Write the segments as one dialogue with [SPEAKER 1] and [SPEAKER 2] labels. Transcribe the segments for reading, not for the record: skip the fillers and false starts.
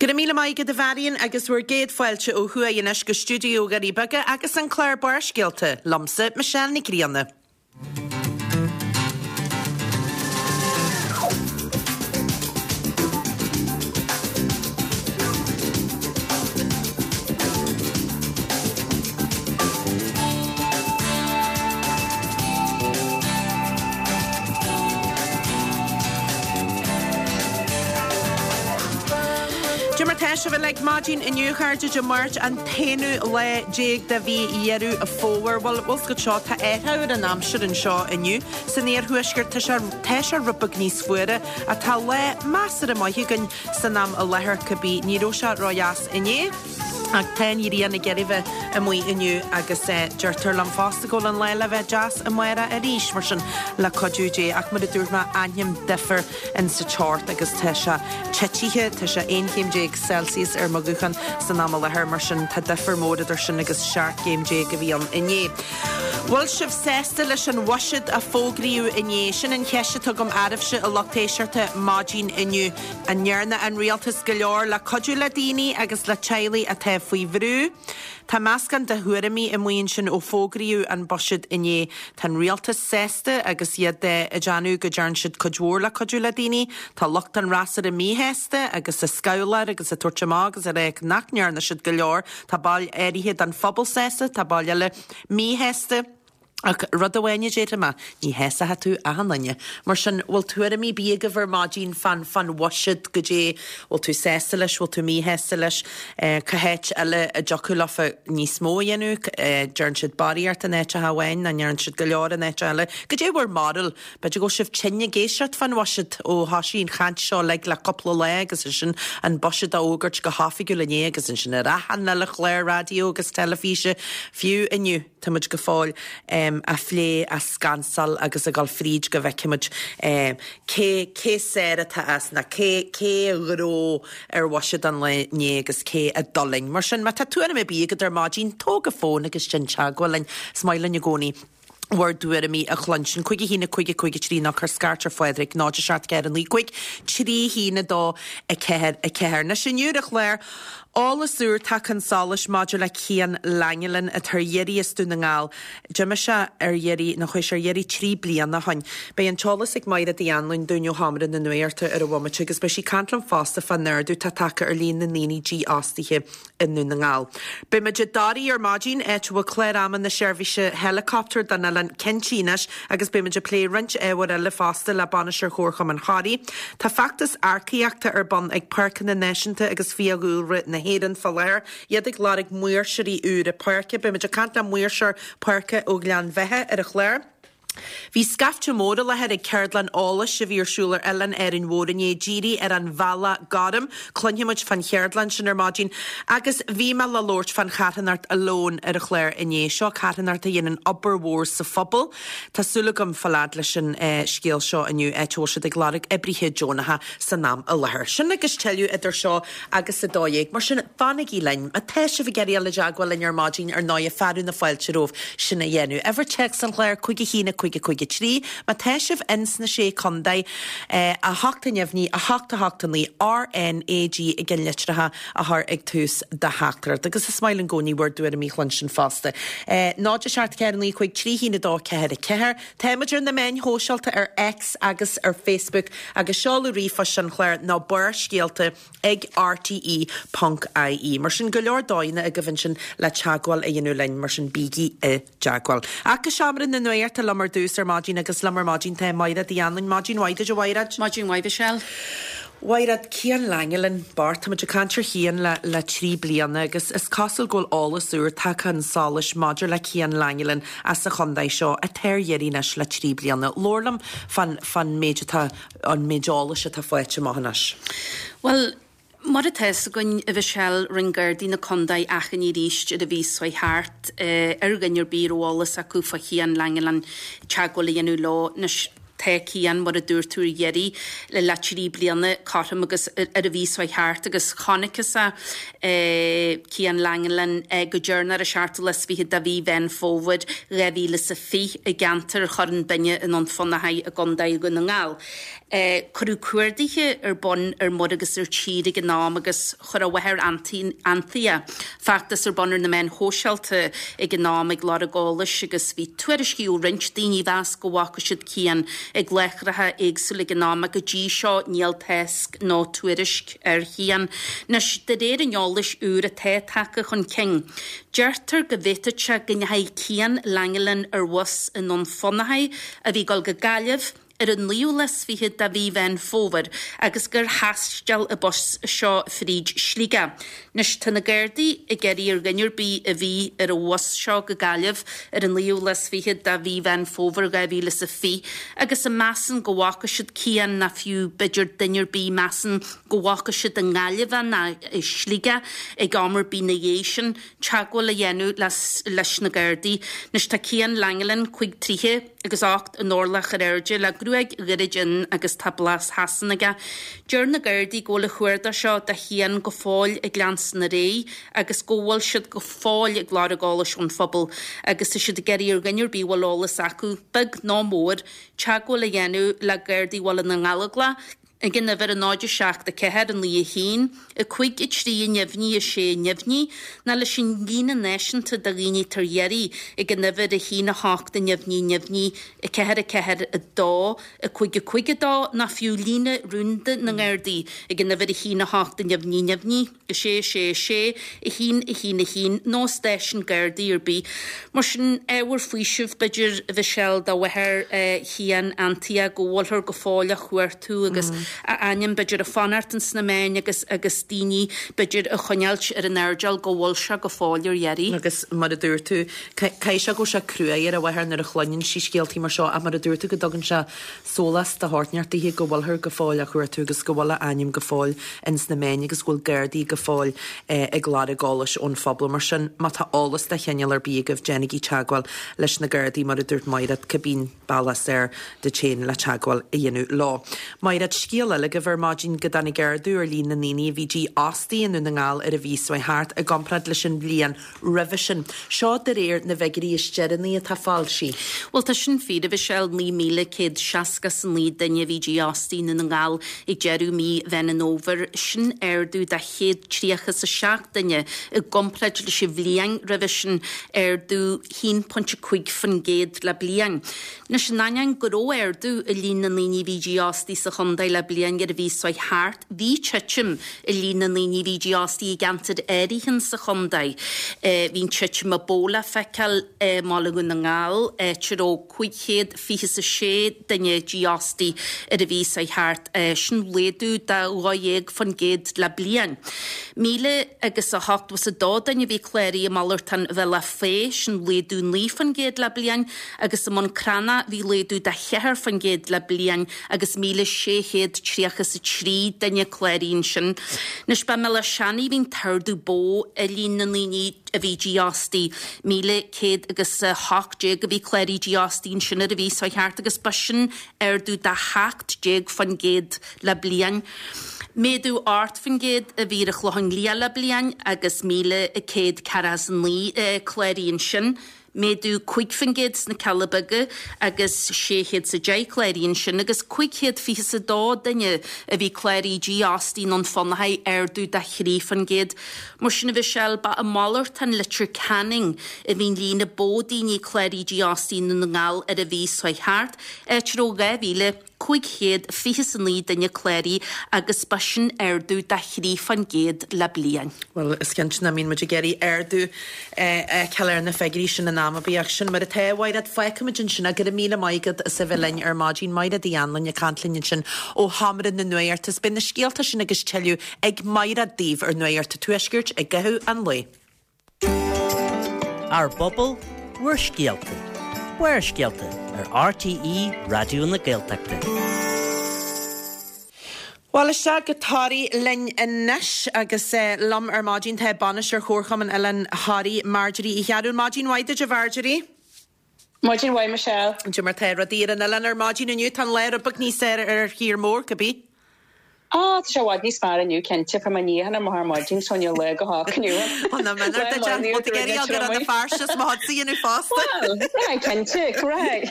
[SPEAKER 1] Go raibh míle maith agat a Mharion agus bhur gcéad fáilte ó thuaidh anois go stiúideo Dhoirí Beaga agus an clár Barrscéalta, liomsa, Michelle Nic Grianna. Cad é mar tá sibh uilig maidin inniu a chairde Dé Máirt an t-aonú lá déag de mhí Dheireadh Fómhair. Bhuel, bhfuil 's agat seo, tá athrú ar an aimsir anseo inniu. San iarthuaisceart tá sé tá sé rud beag níos fuaire ach tá lá measartha maith againn san am i láthair cibé. Ní raibh sé ródheas inné. Ach tá an ghrian ag iarraidh bheith amuigh inniu agus deirtear liom fosta go bhfuil an lá le bheith deas amárach arís, mar sin le cuidiú Dé. Ach mar a dúirt mé, aithním difear in sa teocht agus tá sé titithe, tá sé 11 chéim Celsius ar mo ghuthán san am i láthair, mar sin tá difear mór idir sin agus 17 gcéim a bhí ann inné. Bhfuil sibh sásta leis an bhuiséad a fógraíodh inné? Sin an cheist atá agam oraibhse a lucht éisteachta maidin inniu. An ndearna an rialtas go leor le cuidiú le daoine agus le teaghlaigh atá faoi bhrú? Tá meascán de thuairimí amuigh ansin ó fógraíodh an buiséad inné. Tá an rialtas sásta agus iad ag déanamh go dtearn siad cuid mhór le cuidiú le daoine. Tá lucht an fhreasúra míshásta agus ag scabhláil agus ag tabhairt amach agus ag rá nach ndearna siad go leor. Tá baill áirithe den phobal sásta, tá baill eile míshásta. Ach rud amháin a déarfaidh mé, ní shásóidh tú achan duine. Mar sin, bhfuil tuairimí ar bith agaibh ar maidin fán fán bhuiséad, goidé, bhfuil tú sásta leis, bhfuil tú míshásta leis, cá háit eile a dtiocfadh leofa níos mó a dhéanamh, deireann siad barraíocht in áiteacha amháin, nach ndeireann siad go leor in áit eile. Goidé bhur mbarúil? B'fhéidir go bhfuil sibh tinn ag éisteacht fán bhuiséad ó thoisigh an chaint seo uilig le cúpla lá agus ansin an buiséad á fhógairt go hoifigiúil inné agus ansin ar achan uile chlár raidió agus teilifíse, fiú inniu. Tá muid go fóill á phlé, á scansáil agus ag dul fríd go bhfeicfimid cé cé is fearr atá as nó cé cé a ghnóthaigh ar bhuiséad an lae inné agus cé a d'fhulaing. Mar sin, má tá tuairim ar bith agat ar maidin, tóg an fón agus déan teagmháil linn. Is maith linn i gcónaí bhur dtuairimí a chluinstin. 5 1 5 5 3 nó cuir scairt ar Phádraig 0 7 4 9 5 3 1 2 4 4. Anois inniu ar an chlár, Eolas úr tagtha chun solais maidir le Cian Langelan atá ar iarraidh as Dún na nGall. D'imigh sé ar iarraidh, nó chuaigh sé ar iarraidh 3 bliana ó shin. Beidh an t-eolas ag Maighread Uí Anluain dúinn ó Sheomra na Nuachta ar an bhomaite agus beidh sí ag caint liom fosta fán ardú atá tagtha ar líon na ndaoine dífhostaithe i nDún na nGall. Beidh muid i dToraigh ar maidin, áit a bhfuil clár ama na seirbhíse helicopter don oileán cinntithe anois agus beidh muid ag plé roinnt ábhair eile fosta le Bainisteoir Chomharchumann Thoraí. Tá feachtas earcaíochta ar bun ag Páirceanna Náisiúnta agus Fiadhúlra na hÉireann fá láthair, iad ag lorg maoirseoirí úra páirce. Beidh muid ag caint le maoirseoir páirce ó Ghleann Bheatha ar an chlár. Bhí scaifte mór i láthair ag ceardlann eolais a bhí ar siúl ar oileán Árainn Mhór inné, dírithe ar an bhealach gorm. Cluinfidh muid fán cheardlann sin ar maidin. Agus bhí mé le labhairt fán charthanacht Alone ar an chlár inné. Seo carthanacht a dhéanann obair mhór sa phobal. Tá súil agam fáil fhad leis an scéal seo inniu, áit a bhfuil siad ag lorg oibrithe deonacha san am i láthair. Sin agus tuilleadh idir seo agus 12:00. Mar sin, fanaigí linn. Má tá sibh ag iarraidh dul i dteagmháil linn ar maidin, ar ndóigh, fearadh na fáilte romhaibh sin a dhéanamh. Uimhir téacs an chláir, 5 1 5 5 3. Má tá sibh ins na Sé Chontae, 8 neamhní, 8 8 9, RNAG i gceannlitreacha a chur ag tús do theachtaireacht. Agus is maith linn i gcónaí bhur dtuairimí a chluinstin fosta. 0 7 4 9 5 3 1 2 4 4. Táimid ar na meáin shóisialta ar X agus ar Facebook agus seoladh ríomhphoist an chláir ná barrscéalta ag rte ponc ie. Mar sin, go leor dóigheanna agaibh ansin le teagmháil a dhéanamh linn, mar sin bígí i dteagmháil. Ach go seomra na nuachta liom ar dtús ar maidin agus liom ar maidin tá Maighread Uí Anluain. Maidin mhaith duit a Mhaighread.
[SPEAKER 2] Maidin mhaith Michelle.
[SPEAKER 1] Mhaighread, Cian Langelan, bocht, tá muid ag caint ar Chian le le 3 bliana agus is cosúil go bhfuil eolas úr tagtha chun solais maidir le Cian Langelan as an chontae seo atá ar iarraidh anois le 3 bliana. Labhair liom fán fán méid atá an méid eolais atá faighte amach anois.
[SPEAKER 2] Bhuel, Mar atá fhios againn, a Mhichelle, rinne Gardaí na Condae achainí arís ar an mhí seo chuaigh thart ar dhuine ar bith a raibh eolas acu fá Chian Langelan teagmháil a dhéanamh leo. Anois. Tá Cian, mar a dúirt tú ar iarraidh le 3 bliana cothrom agus ar an mhí seo thart agus chonacthas é, Cian Langelan, go deireanach ar an seachtú lá is fichead de mhí Mheán Fómhair 2020 i gceantar Chorn Binne i nDún Fionnachaidh i gContae Dhún na nGall. Cuireadh cuardaithe ar bun ar muir agus ar tír ag an am agus chuir a mháthair Anthea feachtas ar bun ar na meáin shóisialta ag an am ag lorg eolais agus bhí tuairiscí ó roinnt daoine a mheas go bhfaca siad Cian ag láithreacha éagsúla ag an am ach go dtí seo níl tásc nó tuairisc ar Chian. Anois, de réir an eolais úr atá tagtha chun cinn, deirtear go bhféadfadh sé go ndeachaigh Cian Langelan ar bhus i nDún Fionnachaidh a bhí ag dul go Gaillimh, ar an naoú lá is fichead de mhí Mheán Fómhair agus gur thaisteal an bus seo fríd Sligeach. Anois tá na Gardaí ag iarraidh ar dhuine ar bith a bhí ar an bhus seo go Gaillimh ar an naoú lá is fichead de mhí Mheán Fómhair 2020 agus a measann go bhfaca siad Cian ná fiú b'fhéidir duine ar bith measann go bhfaca siad i nGaillimh é ná i Sligeach ag am ar bith na dhiaidh sin teagmháil a dhéanamh leis na Gardaí. Anois tá Cian Langelan, 35 troigh, agus 8 n-orlach ar airde, le gruaig ghairid fhionn agus tá blas Shasana aige. Deir na Gardaí go bhfuil an chuardach seo do Chian go fóill ag leanstan ar aghaidh agus go bhfuil siad go fóill ag lorg eolais ón phobal agus tá siad ag iarraidh ar dhuine ar bith a bhfuil eolas acu, beag nó mór, teagmháil a dhéanamh le Gardaí Bhaile na nGallóglach. Ag an uimhir 0 7 4 9 1 5 3 neamhní 6 neamhní, nó leis an líne náisiúnta do dhaoine atá ar iarraidh ag an uimhir 1 8 neamhní neamhní 4 4 2 5 5 2, nó fiú líne rúnda na nGardaí ag an uimhir 1 8 neamhní neamhní. 6 6 6 1 1 1 nó stáisiún Gardaí ar bith. Mar sin, ábhar faoisimh, b'fhéidir, a Mhichelle, do mháthair Chian, Anthea, go bhfuilthear go fóill á chuartú agus a ainm, b'fhéidir, ag fanacht ins na meáin agus agus daoine, b'fhéidir, á choinneáilt ar an airdeall go bhfuil sé go fóill ar iarraidh.
[SPEAKER 1] Agus mar a dúirt tú, caithfidh sé go bhfuil sé cruaidh ar a mháthair nuair a chluineann sí scéaltaí mar seo ach mar a dúirt tú go dtugann sé sólás de shórt inteacht daoithe go bhfuilthear go fóill á chuartú agus go bhfuil a ainm go fóill ins na meáin agus go bhfuil Gardaí go fóill ag lorg eolais ón phobal. Mar sin, má tá eolas de chineál ar bith agaibh, déanaigí teagmháil leis na Gardaí, mar a dúirt Maighread, cibé an bealach is fhearr duit féin le teagmháil a dhéanamh leo. Maighread, scéal eile agaibh ar maidin go dtáinig ardú ar líon na ndaoine a bhí dífhostaithe i nDún na nGall ar an mhí seo thart i gcomparáid leis an bhliain roimhe sin. Seo de réir na bhfigiúirí is deireanaí atá foilsithe.
[SPEAKER 2] Bhuel, tá sin fíor, a Mhichelle, 9,169 duine a bhí dífhostaithe i nDún na nGall ag deireadh mí Mheán an Fhómhair. Sin ardú de 137 duine i gcomparáid leis an bhliain roimhe sin, ardú 1.5% le bliain. Anois, in ainneoin go raibh ardú i líon na ndaoine a bhí dífhostaithe sa chontae le bliain ar an mhí seo thart, Bhí titim i líon na ndaoine a bhí dífhostaithe i gceantair áirithe sa chontae. Bhí an titim a ba mhó le feiceáil i mBaile Dhún na nGall, áit a raibh 526 duine dífhostaithe ar an mhí seo thart, sin laghdú de 12% le bliain. Míle agus a hochtó is a dó duine a bhí cláraithe i Malartán Bhealach Féich, sin laghdú 9% le bliain, agus i mBun Cranncha bhí laghdú de 4% le bliain. agus 1,633 duine cláraithe ansin. Anois, ba i mBéal Átha Seanaidh a bhí an t-ardú ba mhó i líon na ndaoine a bhí dífhostaithe, 1,100 agus 18 a bhí cláraithe dífhostaithe ansin ar an mhí seo thart agus ba sin ardú de 17% le bliain. Méadú 8% a bhí ar an Chlochán Liath le bliain agus 1,149 cláraithe ansin. Méadú 5% sna Cealla Beaga agus 610 cláraithe ansin agus 522 duine a bhí cláraithe dífhostaithe i nDún Fionnachaidh, ardú de 3%. Mar sin a Mhichelle, ba i Malartán Leitir Ceanainn a bhí an líon ba mhó daoine cláraithe dífhostaithe i nDún na nGall ar an mhí seo thart, áit a raibh 2,000. 529 duine cláraithe agus ba sin ardú de 3% le bliain.
[SPEAKER 1] Bhuel, is cinnte nach mbíonn muid ag iarraidh ardú a fheiceáil ar na figiúirí sin in am ar bith ach sin mar atá. A Mhaighread, fágfaimid ansin é. Go raibh míle maith agat as a bheith linn ar maidin. Maighread Uí Anluain ag caint linn ansin ó Sheomra na Nuachta. Is beidh na scéalta sin agus tuilleadh ag Maighread daoibh ar Nuacht an Tuaiscirt i gcaitheamh an lae.
[SPEAKER 3] Ár bpobal, bhur scéalta. Barrscéalta ar RTÉ Raidió na Gaeltachta.
[SPEAKER 1] Bhuel, isteach go Toraigh linn anois agus liom ar maidin tá Bainisteoir Chomharchumann Oileán Thoraí, Marjorie Uí Chearúil. Maidin mhaith duit, a Mharjorie.
[SPEAKER 4] Maidin mhaith Michelle.
[SPEAKER 1] Cad é mar tá rudaí ar an oileán ar maidin inniu, tá an lá rud beag níos fearr ar thír mór, cibé.
[SPEAKER 4] Á, tá sé i bhfad níos fearr inniu, cinnte. Fuair mé níochán ar mo ar maidin, so níl lá go holc inniu.
[SPEAKER 1] Ó, ná minic duit é. Bhfuil tú ag iarraidh go raibh na fearsas mo chuidse a dhéanamh fosta?
[SPEAKER 4] Bhuel, right, cinnte, right.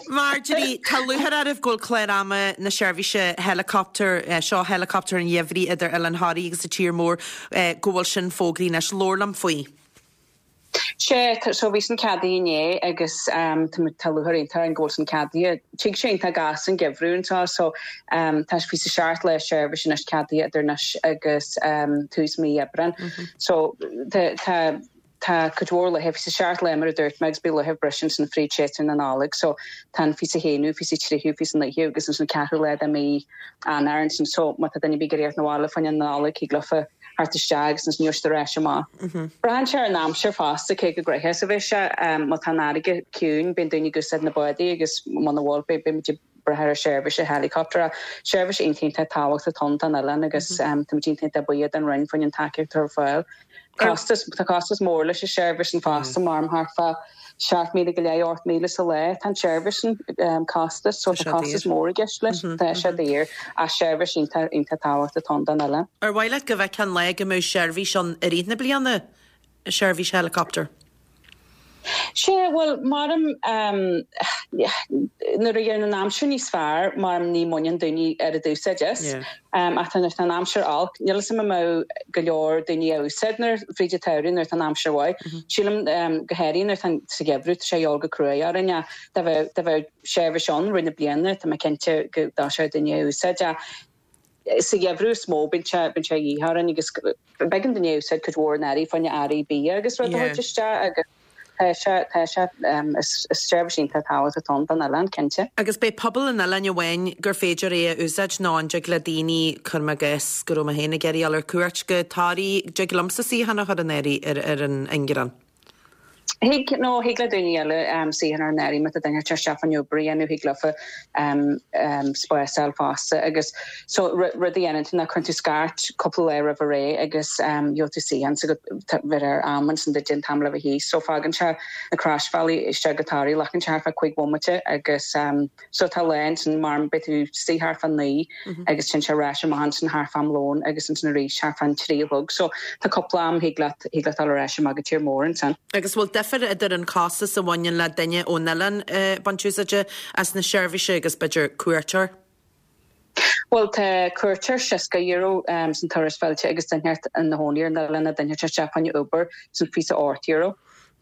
[SPEAKER 1] Marjorie, tá lúcháir oraibh go bhfuil clár ama na seirbhíse helicopter, seo helicopter an gheimhridh idir Oileán Thoraí agus an tír mór, go bhfuil sin fógraithe anois. Labhair liom faoi.
[SPEAKER 4] Sea, so bhí sin ceadaithe inné agus tá lúcháir iontach orainn go bhfuil sin ceadaithe. Tig sé iontach gasta an geimhreadh anseo so tá fiche 's a seacht lá seirbhís anois ceadaithe idir anois agus tús mí Aibreáin. So tá tá tá cuid mhór laetha, fiche 's a seacht lá mar a dúirt mé agus beidh laetha breise ansin fríd séasúr na Nollag so tá an fiche 's a haonú, fiche 's a tríú, fiche 's a naoú agus ansin ceathrú lá de mí Eanáir ansin so má tá duine ar bith ag iarraidh theacht 'na bhaile fá choinne na Nollag thig leofa theacht isteach agus ansin gheobhaidh siad ar ais amach. Braitheann sé ar an aimsir fosta cé chomh gnoitheach is a bheidh sé. Má tá an fharraige ciúin bíonn daoine ag úsáid na bádaí agus muna bhfuil beidh muid ag brath ar an seirbhís helicopter. Seirbhís iontach iontach tábhachtach atá ann don oileán agus táimid iontach iontach buíoch don Roinn fá choinne an tacaíocht atá ar fáil. Costas, tá costas mór leis an seirbhís sin fosta, maram thart fá 7,000 go leith, 8,000 sa lá tá an tseirbhís sin costas, so tá costas mór i gceist leis, tá sé daor, ach seirbhís iontach, iontach tábhachtach atá ann don oileán.
[SPEAKER 1] Ar mhaith leat go bhfeicfeá an lá go mbeadh seirbhís ann i rith na bliana, seirbhís helicopter?
[SPEAKER 4] Sea, bhuel, maram, nuair a bhíonn an aimsir níos fearr, maram ní bhaineann daoine oiread úsáid as. Ach nuair atá an aimsir olc, níl 'fhios a'm an mbeadh go leor daoine á úsáid nuair, fríd an tsamhradh nuair atá an aimsir mhaith. Sílim, go háirithe nuair atá an, sa gheimhreadh, tá sé a dhul go cruaidh orainn ach dá bheadh, dá bheadh seirbhís ann rith na bliana, tá mé cinnte go dtoiseodh daoine á úsáid ach sa gheimhreadh is mó, bíonn sé, bíonn sé a dhíth orainn agus b'éigean dúinn é a úsáid cuid mhór in earraí, fá choinne earraí bia agus rud a thabhairt isteach agus tá sé, tá sé, is seirbhís iontach tábhachtach atá ann don oileán, cinnte.
[SPEAKER 1] Agus beidh pobal an oileáin amháin gur féidir é a úsáid nó an dtig le daoine, cuirim i gcás go raibh mé féin ag iarraidh dul ar cuairt go Toraigh, dtig liomsa suíochán a chur in áirithe ar an ingearán?
[SPEAKER 4] Thig, nó thig le daoine eile suíochán a chur in áirithe má tá duine ag teacht isteach fá choinne obair a dhéanamh, thig leofa spás a fháil fosta agus so rud a dhéanann tú ná cuireann tú scairt cúpla lá roimh ré agus gheobhaidh tú suíochán so go bheidh ar am ansin duit an t-am le bheith thíos. So fágann sé na Croisbhealaí isteach go Toraigh, glacann sé thart fá 5 bhomaite agus So tá lá ansin mar beidh tú istigh thart fá naoi agus téann sé ar ais amach ansin thart fá am lóin agus ansin arís thart fá an trí a chlog. So tá cúpla am thig leat thig leat dul ar ais amach go tír mór ansin.
[SPEAKER 1] Agus bhfuil difear idir an costas a bhaineann le duine ón oileán ag baint úsáide as na seirbhíse agus b'fhéidir cuairteoir?
[SPEAKER 4] Bhuel tá cuairteoir €60 san turas fillte agus duine inteacht ina chónaí ar an oileán nó duine ag teacht isteach fá choinne obair san €28.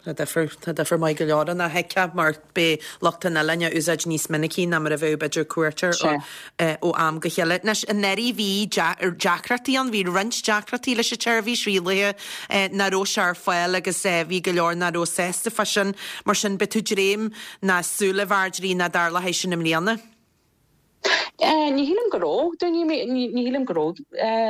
[SPEAKER 1] Tá difear, tá difear maith go leor ann a thuigfeá mar beidh lucht an oileáin á úsáid níos minicí ná mar a bheadh b'fhéidir cuairteoir ó am go chéile. Anois, anuraidh bhí deacrachtaí ann, bhí roinnt deacrachtaí leis an tseirbhís, bhí laethe nach raibh sé ar fáil agus bhí go leor nach raibh sásta fá sin. Mar sin, beidh tú dréim ná súil a Mharjorie nach dtarlóidh sin i mbliana.
[SPEAKER 4] Ní shílim go raibh daoine, ní shílim go raibh,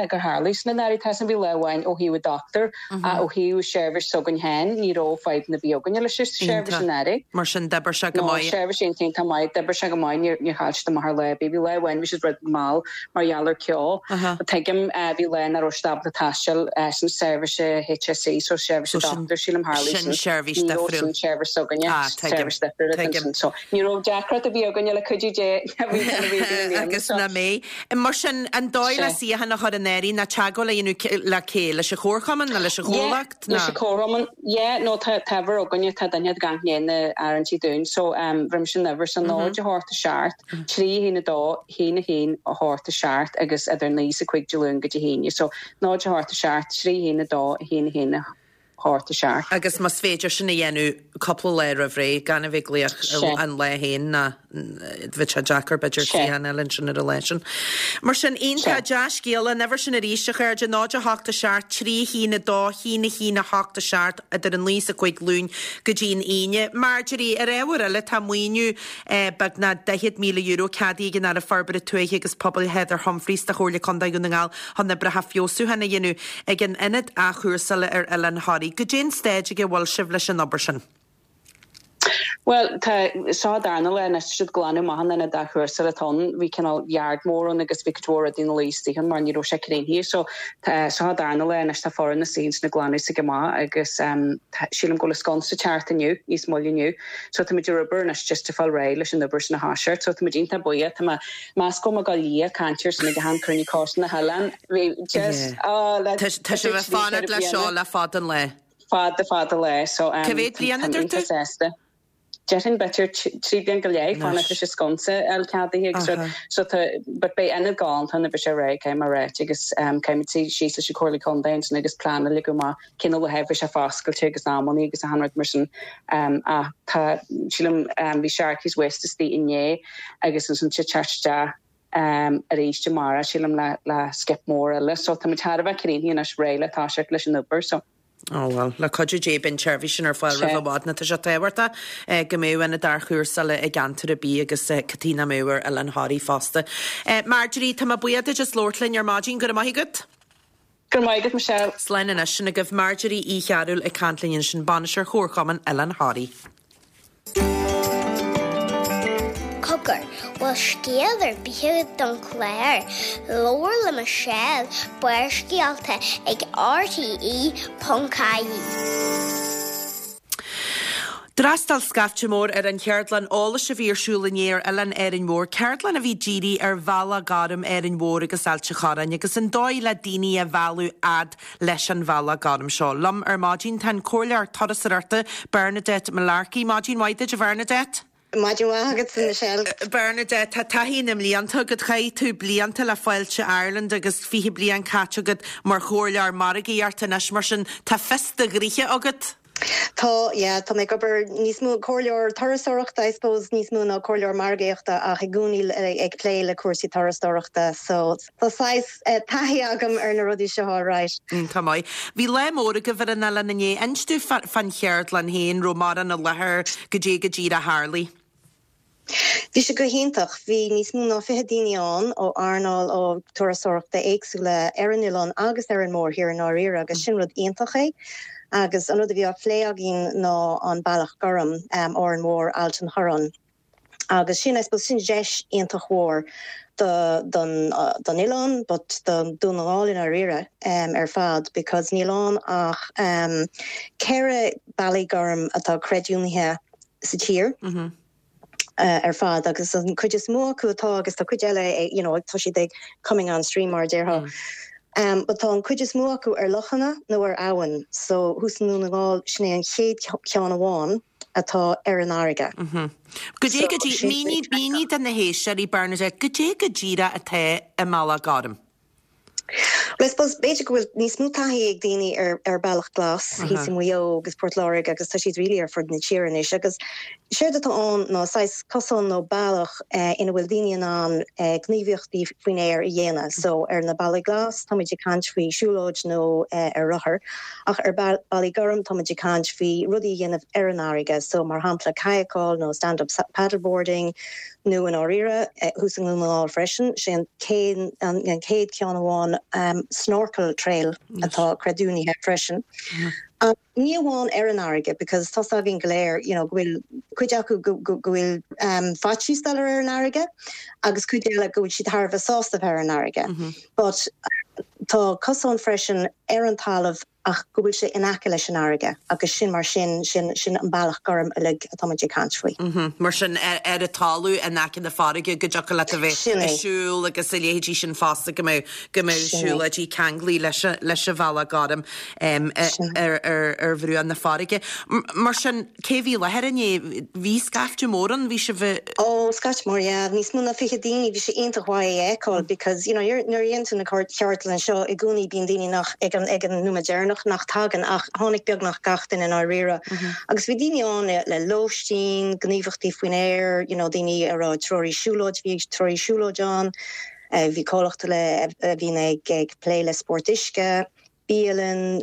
[SPEAKER 4] gur tharlaigh sin anuraidh. Tá sin, bhí lá amháin ó thaobh an dochtúir ach ó thaobh seirbhís s'againn féin, ní raibh fadhbanna ar bith againne leis an seirbhís anuraidh.
[SPEAKER 1] Mar sin d'oibir sé go maith.
[SPEAKER 4] No, seirbhís iontach iontach maith, d'oibir sé go maith, níor níor chaill siad amach ar lá ar bith. Bhí lá amháin bhí siad rud mall mar gheall ar ceo. Tuigim, bhí lá nach raibh siad ábalta taisteal sin seirbhís HSE, so seirbhís an dochtúir, sílim tharlaigh
[SPEAKER 1] sin. Sin seirbhís
[SPEAKER 4] difriúil. Ní raibh sin seirbhís s'againne, seirbhís difriúil ansin. So Ní raibh deacracht ar bith againne le cuidiú Dé
[SPEAKER 1] Agus ná mbeidh. Mar sin, an dóigh le suíochán a chur in áirithe ná teagmháil a dhéanamh le cé? Leis an chomharchumann nó leis an chomhlacht?
[SPEAKER 4] Yeah, leis an chomharchumann. Yeah, nó tá uimhir againne, tá duine ag amharc i ndiaidh na áirithintí dúinn. So, bheir mise an uimhir so 0 8 7 3 1 2 1 1 8 7 agus idir 9 is 5 Dé Luain go Dé hAoine. So, 0 8 7 3 1 2 1 1 8 7.
[SPEAKER 1] Agus más féidir sin a dhéanamh cúpla lá roimh ré, gan a bheith ag glaoch an lá féin ná bheadh sé deacair b'fhéidir suíochán a fháil ansin ar an lá sin. Mar sin, iontach dea-scéala, an uimhir sin arís, a chairde, 0 8 7 3 1 2 1 1 8 7 idir a 9 is a 5 Luain go dtí an Aoine. Marjorie, ar ábhar eile, tá maoiniú beagnach €40,000 ceadaithe ag an Aire Forbartha Tuaithe agus Pobail Heather Humphreys do Chomhairle Contae Dhún na nGall chun oibreacha feabhsúcháin a dhéanamh ag an ionad athchúrsála ar Oileán Thoraí. Goidé an staid ag a bhfuil sibh leis an obair sin?
[SPEAKER 4] Bhuel, tá, seo an darna lá anois, tá siad ag glanadh amach an ionad athchúrsála atá ann. Bhí cineál yard mór ann agus bhí cuid mhór rudaí ina luí istigh ann mar ní raibh sé críochnaithe. So, tá, seo an darna lá anois, tá foireann istigh ansin ag glanadh s'aige amach agus tá, sílim go bhfuil an sconsa ag teacht inniu, níos moille inniu. So, tá muid ar obair anois just ag fáil réidh leis an obair sin a thoiseacht. So, tá muid iontach buíoch, tá mé, meas go bhfuil mé ag dul liath ag caint air sin ag achan cruinniú coiste na hoileáin. Bhí just, oh, le,
[SPEAKER 1] Tá, tá sibh ag fanacht leis seo le fada an lá.
[SPEAKER 4] Fada fada lá so
[SPEAKER 1] Cá mhéad bliain a
[SPEAKER 4] táim
[SPEAKER 1] dúirt tú?
[SPEAKER 4] iontach sásta. Déarfainn b'fhéidir 3 bliain go leith fanacht leis an sconsa a fháil ceadaithe agus rud so tá but beidh ionad galánta ann nuair a bheidh sé réidh caithfidh mé a ráit agus caithfidh muid suí síos leis an Comhairle Contae ansin agus plean a leagadh amach cén uair a bheidh sé foscailte agus amannaí agus achan rud mar sin ach tá sílim bhí Sharkey's West istigh inné agus ansin tá teacht isteach arís amárach, sílim, le skip mór eile. So tá muid thar a bheith críochnaithe anois, réidh le toiseacht leis an obair. So.
[SPEAKER 1] Ó bhuel, le cuidiú Dé beidh an tseirbhís sin ar fáil roimh i bhfad nó tá sé tábhachtach go mbeadh ionad athchúrsála i gceantar ar bith agus cad chuige nach mbeadh ar Oileán Thoraí fosta. Marjorie, tá mé buíoch duit as labhairt linn ar maidin, go raibh maith agat.
[SPEAKER 4] Go raibh maith agat, Michelle.
[SPEAKER 1] Slán anois, sin agaibh Marjorie Uí Chearúil ag caint linn ansin, Bainisteoir Chomharchumann Oileán Thoraí.
[SPEAKER 5] Cogar, bhfuil scéal ar bith agat don chlár? Labhair le Michelle, Barrscéalta ag RTE.ie.
[SPEAKER 1] D'fhreastail scaifte mór ar an cheardlann eolais a bhí ar siúl inné ar Oileán Árainn Mhór, ceardlann a bhí dírithe ar Bhealach Gorm Árainn Mhór agus Ailt an Chorráin agus an dóigh le daoine a mhealladh fhad leis an Bhealach Gorm seo. Liom ar maidin tá an Comhairleoir Turasóireachta Bernadette Mullarkey. Maidin mhaith duit a Bhernadette.
[SPEAKER 6] Maidin mhaith agatsa Michelle.
[SPEAKER 1] Bernadette, tá taithí na mblianta agat. Chaith tú blianta le Fáilte Ireland agus 20 bliain caite agat mar chomhairleoir margaíochta anois, mar sin tá fios do ghnoithe agat.
[SPEAKER 6] Tá, yeah, tá mé ag obair níos mó, comhairleoir turasóireachta I suppose, níos mó ná comhairleoir margaíochta ach i gcónaí ag plé le cúrsaí turasóireachta so tá saghas taithí agam ar na rudaí seo alright.
[SPEAKER 1] Tá maith. Bhí lá mór agaibh ar an oileán inné. Inis domh fán cheardlann féin, raibh mórán i láthair, goidé go díreach a tharlaigh.
[SPEAKER 6] Bhí sé go hiontach. Bhí níos mó ná 20 daoine ann ó earnáil ó turasóireachta éagsúla ar an oileán agus ar an mórthír i ndáiríre agus sin rud iontach é. Agus an rud a bhí á phlé againn ná an Bealach Gorm, Árainn Mhór, Ailt an Chorráin. Agus sin, I suppose, sin deis iontach mhór do don don oileán but do Dún na nGall i ndáiríre ar fad because níl ann ach 4 bealaí gorm atá creidiúnaithe sa tír ar fad agus an cuid is mó acu atá agus tá cuid eile you know tá siad ag coming on stream mar a déarfá. Um, but tá an cuid is mó acu ar lochanna nó ar abhainn so thuas i nDún na nGall sin é an chéad ceann amháin atá ar an fharraige.
[SPEAKER 1] Goidé go dtí, mínigh, mínigh do na héisteoirí Bernadette, goidé go díreach atá i mBealach Gorm?
[SPEAKER 6] Well, I suppose, b'fhéidir go bhfuil níos mó taithí ag daoine ar ar Bealach Glas thíos i Maigh Eo agus Port Láirge agus tá siad really ar fud na tíre anois agus séard atá ann ná saghas cosán nó bealach ina bhfuil daoine in ann gníomhaíochtaí faoin aer a dhéanamh. So ar na bealaí glas táimid ag caint faoi siúlóid nó ar rothar ach ar bealaí gorm táimid ag caint faoi rudaí a dhéanamh ar an fharraige so mar shampla cadhcáil nó stand up paddleboarding nó i ndáiríre, thuas i nDún na nGall freisin, sé an an chéad ceann amháin snorkel trail atá creidiúnaithe freisin. Ach ní amháin ar an fharraige because tá's againn go léir you know go bhfuil cuid acu go go go bhfuil faitíos dul ar an fharraige agus cuid eile go bhfuil siad thar a bheith sásta bheith ar an fharraige. But tá cosán freisin ar an talamh ach go bhfuil sé in aice leis an fharraige agus sin mar sin, sin, sin an bealach gorm uilig atá muid ag caint faoi.
[SPEAKER 1] Mar sin, ar an talamh in aice na farraige go dtiocfadh leat a bheith ag siúl agus a leithéidí sin fosta go mbeadh, go mbeadh siúlóidí ceanglaithe leis an, leis an bhealach gorm ar, ar, ar bhruach na farraige. Mar sin, Cé bhí i láthair inné? Bhí scaifte mór ann, bhí sibh i.
[SPEAKER 6] Ó, scaifte mór, yeah. Níos mó ná 20 daoine, bhí sé iontach mhaith é a fheiceáil because, you know, nuair a dhéanann tú na ceardlanna seo i gcónaí bíonn daoine nach, ag an, ag an nóiméad deireanach nach tagann ach tháinig beagnach gach duine i ndáiríre. Agus bhí daoine ann le, le lóistín, gníomhaíochtaí faoin aer, you know, daoine a raibh treoraí siúlóid, bhí treoraí siúlóid ann, bhí comhlacht le, a bhíonn ag, ag plé le spórt uisce. bialann,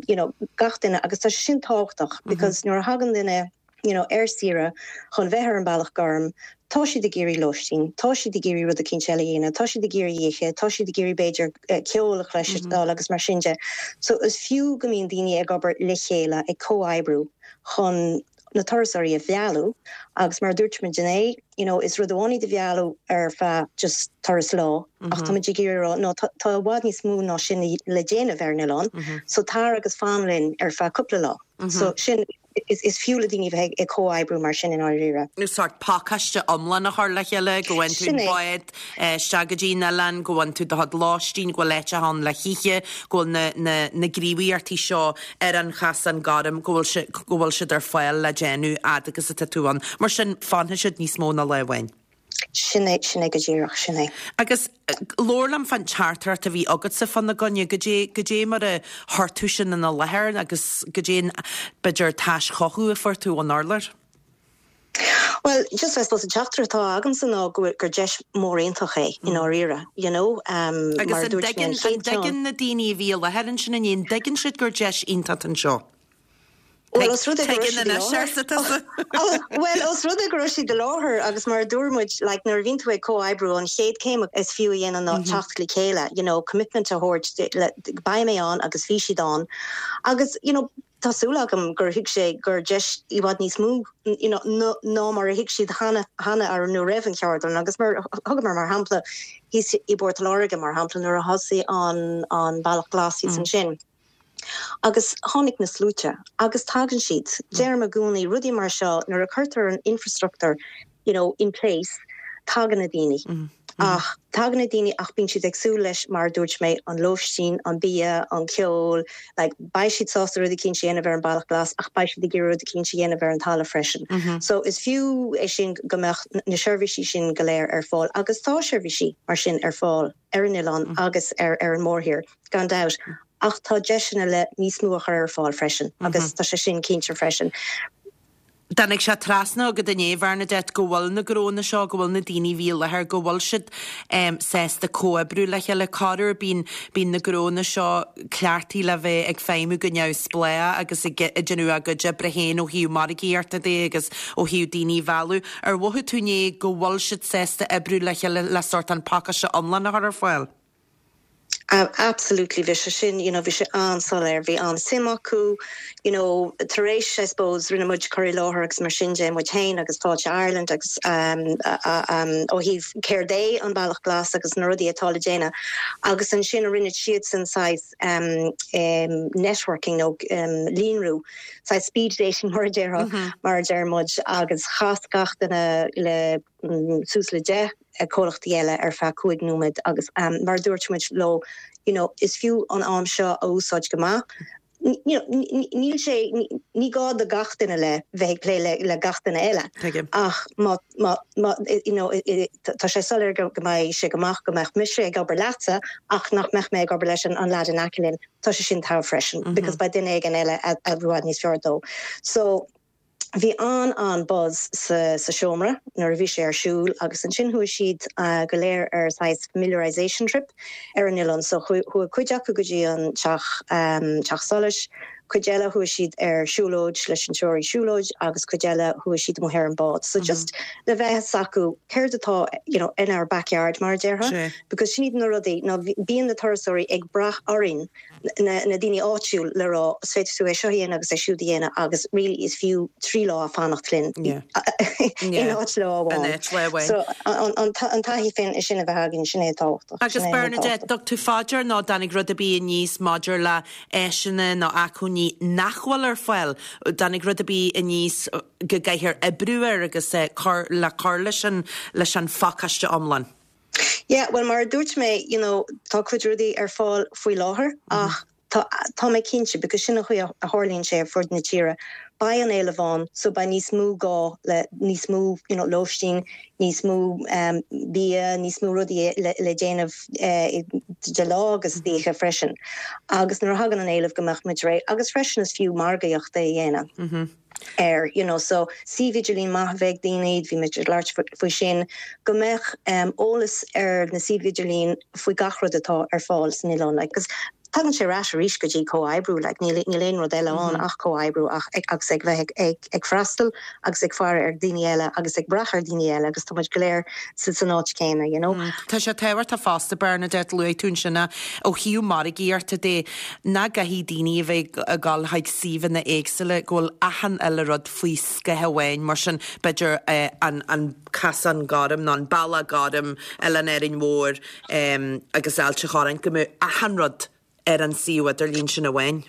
[SPEAKER 6] you know, gach duine agus tá sé sin tábhachtach because nuair a thagann duine, you know, ar saoire chun bheith ar an Bealach Gorm, tá siad ag iarraidh lóistín, tá siad ag iarraidh rud eicínt eile a dhéanamh, tá siad ag iarraidh ithe, tá siad ag iarraidh b'fhéidir ceol a chloisteáil agus mar sin de. So is fiú go mbíonn daoine ag obair le chéile, ag comhoibriú chun. na turasóirí a mhealladh agus mar a dúirt muid inné, you know, is rud amháin iad a mhealladh ar feadh just turas lá ach tá muid ag iarraidh a rá no tá i bhfad níos mó ná sin le déanamh ar an oileán so tar agus fan linn ar feadh cúpla lá. So sin, is fiú le daoine bheith ag comhoibriú mar sin i ndáiríre.
[SPEAKER 1] Sórt pacáiste iomlán a chur le chéile, go bhfaigheann tú an bád isteach go dtí an oileán, go bhfaigheann tú do chuid lóistín, go bhfuil áiteacha ann le hithe, go bhfuil na, na, na gníomhaíochtaí seo ar an Chasán Gorm, go bhfuil sé, go bhfuil siad ar fáil le déanamh fhad agus atá tú ann. Mar sin, fanfaidh siad níos mó ná lá amháin.
[SPEAKER 6] Sin é, sin é go díreach, sin é.
[SPEAKER 1] Agus labhair liom fán teachtaireacht a bhí agatsa fána gcoinne, goidé, goidé mar a chuir tú sin ina láthair agus goidé an, b'fhéidir, taischothú a fuair tú ón urlár?
[SPEAKER 6] Bhuel, just I suppose an teachtaireacht atá agamsa ná go bhfuil, gur deis mór iontach é i ndáiríre, you know,
[SPEAKER 1] Agus mar a an dúirt mé an dtuigeann, an chéad ceann. dtuigeann na daoine a bhí i láthair ansin inné, an dtuigeann siad gur deis iontach anseo?
[SPEAKER 6] Bhuel, os rud é go raibh siad i láthair. Bhuel, os rud é go raibh siad i láthair agus mar a dúirt muid, like, nuair a bhíonn tú ag comhoibriú, an chéad céim is fiú a dhéanamh ná teacht le chéile, you know, commitment a thabhairt, le, beidh mé ann agus bhí siad ann. Agus, you know, tá súil agam gur thuig sé gur deis i bhfad níos mó, you know, ná mar a thuig siad cheana, cheana nó roimh an cheardlann agus mar, thugamar mar shampla thíos i bPort Láirge, mar shampla, nuair a thosaigh an, an Bealach Glas thíos ansin. Agus tháinig na sluaite, agus tagann siad. Deirim i gcónaí, rudaí mar seo, nuair a cuirtear an infrastructúr, you know, in place, tagann na daoine. Ach tagann na daoine ach bíonn siad ag súil leis, mar a dúirt mé, an lóistín, an bia, an ceol, like, beidh siad sásta rud eicínt a dhéanamh ar an Bealach Glas ach beidh siad ag iarraidh rud eicínt a dhéanamh ar an talamh freisin. So is fiú é sin go mbeadh na seirbhísí sin go léir ar fáil agus tá seirbhísí mar sin ar fáil ar an oileán agus ar ar an mórthír. gan dabht, ach tá deiseanna le níos mó a chur ar fáil freisin agus tá sé sin cinnte freisin.
[SPEAKER 1] Tháinig sé trasna agat inné, Bhernadette, go bhfuil na gnónna seo, go bhfuil na daoine a bhí i láthair, go bhfuil siad sásta comhoibriú le chéile. Corruair bíonn, bíonn na gnónna seo cleachtaithe le bheith ag feidhmiú go neamhspleách agus ag déanamh a gcuid oibre féin ó thaobh margaíochta de agus ó thaobh daoine a mhealladh. Ar mhothaigh tú inné go bhfuil siad sásta oibriú le chéile le sórt an pacáiste iomlán a chur ar fáil?
[SPEAKER 6] Absolutely, bhí sé sin, you know, bhí sé an-soiléir, bhí an-suim acu, you know, tar éis, I suppose, rinne muid cur i láthair agus mar sin de, muid féin agus Fáilte Ireland agus ó thaobh céard é an Bealach Glas agus na rudaí atá le déanamh agus ansin rinne siadsan saghas networking nó líonrú, saghas speed dating mar a déarfá, mar a deir muid agus chas gach duine le suas le 10 comhlachtaí eile ar feadh 5 nóiméad agus mar a dúirt muid leo you know is fiú an am seo a úsáid go maith. You know níl sé, ní gá do gach duine le bheith ag plé le le gach duine eile ach má má má you know tá sé soiléir go mbeidh sé go maith go mbeadh mise ag obair leatsa ach nach mbeadh mé ag obair leis an an leaid in aice linn, tá sé sin togha freisin because beidh duine éigin eile a i bhfad níos fearr dó. So. Bhí an-an-buzz sa seomra nuair a bhí sé ar siúl agus ansin chuaigh siad go léir ar saghas familiarisation trip ar an oileán. So chuaigh cuid acu go dtí an teach, teach solais, cuid eile chuaigh siad ar siúlóid leis an treoraí siúlóid agus cuid eile chuaigh siad amuigh ar an bád. So just le bheith fhios acu céard atá you know in our backyard mar a déarfá because sin iad na rudaí ná bíonn na turasóirí ag brath orainn na daoine áitiúil le rá is féidir tú é seo a dhéanamh agus é siúd a dhéanamh agus really is fiú 3 lá fanacht linn in áit lá amháin. So an taithí féin sin a bheith againn, sin é tábhachtach.
[SPEAKER 1] Agus Bernadette, dtug tú fá dear nó dtáinig rud ar bith aníos maidir le áiseanna nó acmhainní nach bhfuil ar fáil, dtáinig rud ar bith aníos go gcaithfear oibriú air agus cur le cur leis an leis an phacáiste iomlán?
[SPEAKER 6] Yeah, bhuel mar a dúirt mé, you know, tá cuid rudaí ar fáil faoi láthair ach tá, tá mé cinnte, because sin an chaoi a tharlaíonn sé ar fud na tíre, beidh an éileamh ann so beidh níos mó gá le níos mó, you know, lóistín, níos mó bia, níos mó rudaí le, le déanamh de lá agus d'oíche freisin. Agus nuair a thagann an éileamh go mbeadh muid réidh agus freisin is fiú margaíocht a dhéanamh. air, you know, so suíomh idirlín maith a bheith ag daoine, bhí muid ag labhairt faoi sin, go mbeadh eolas ar na suímh idirlín faoi gach rud atá ar fáil san oileán, like, 'cause. Tagann sé ar ais arís go dtí comhoibriú, like níl níl aon rud eile ann ach comhoibriú ach ag agus ag bheith ag ag ag freastal agus ag faire ar daoine eile agus ag brath ar daoine eile agus tá muid go léir sa san áit céanna, you know.
[SPEAKER 1] Tá sé tábhachtach fosta, Bernadette, luaigh tú ansin é, ó thaobh margaíochta de, nach gcaithfidh daoine a bheith ag dul chuig suíomhanna éagsúla, go bhfuil achan uile rud faoi scáth amháin, mar sin b'fhéidir an an Casán Gorm nó an Bealach Gorm, Oileán Árainn Mhór agus Ailt a' Chorráin, go mbeadh achan rud ar an suíomh idirlín sin amháin.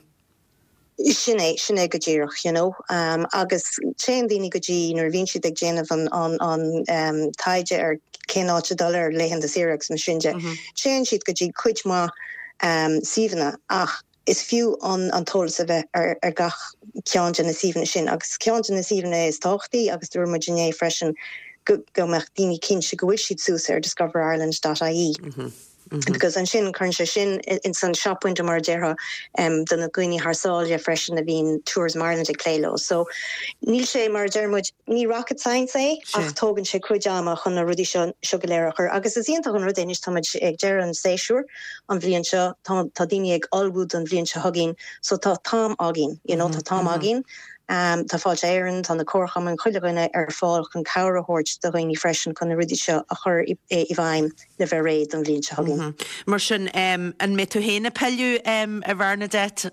[SPEAKER 6] Sin é, sin é go díreach, you know. Agus téann daoine go dtí, nuair a bhíonn siad ag déanamh an, an, an taighde ar cén áit a dul ar laethanta saoire agus mar sin de, téann siad go dtí cuid mhaith suíomhanna ach Is fiú an t-eolas a bheith ar gach ceann de na suíomhanna sin agus ceann de na suíomhanna is tábhachtaí agus dúirt muid inné freisin go mbeadh daoine cinnte go bhfuil siad suas ar discoverireland dot ie because ansin cuireann sé sin ins an shop window mar a déarfá do na daoine thar sáile freisin a bhíonn Tourism Ireland ag plé leo. So níl sé mar a deir muid ní rocket science é ach tógann sé cuid ama chun na rudaí seo seo go léir a chur agus is iontach an rud é anois tá muid ag deireadh an séasúir an bhliain seo, tá tá daoine ag ullmhú don bhliain seo chugainn so tá t-am againn, you know, tá t-am againn. Tá Fáilte Éireann, tá na comharchumainn, chuile dhuine ar fáil chun cabhair a thabhairt do dhaoine freisin chun na rudaí seo a chur i bhfeidhm le bheith réidh don bhliain seo chugainn.
[SPEAKER 1] Mar sin, an mbeidh tú féin ag pilleadh, a Bhernadette?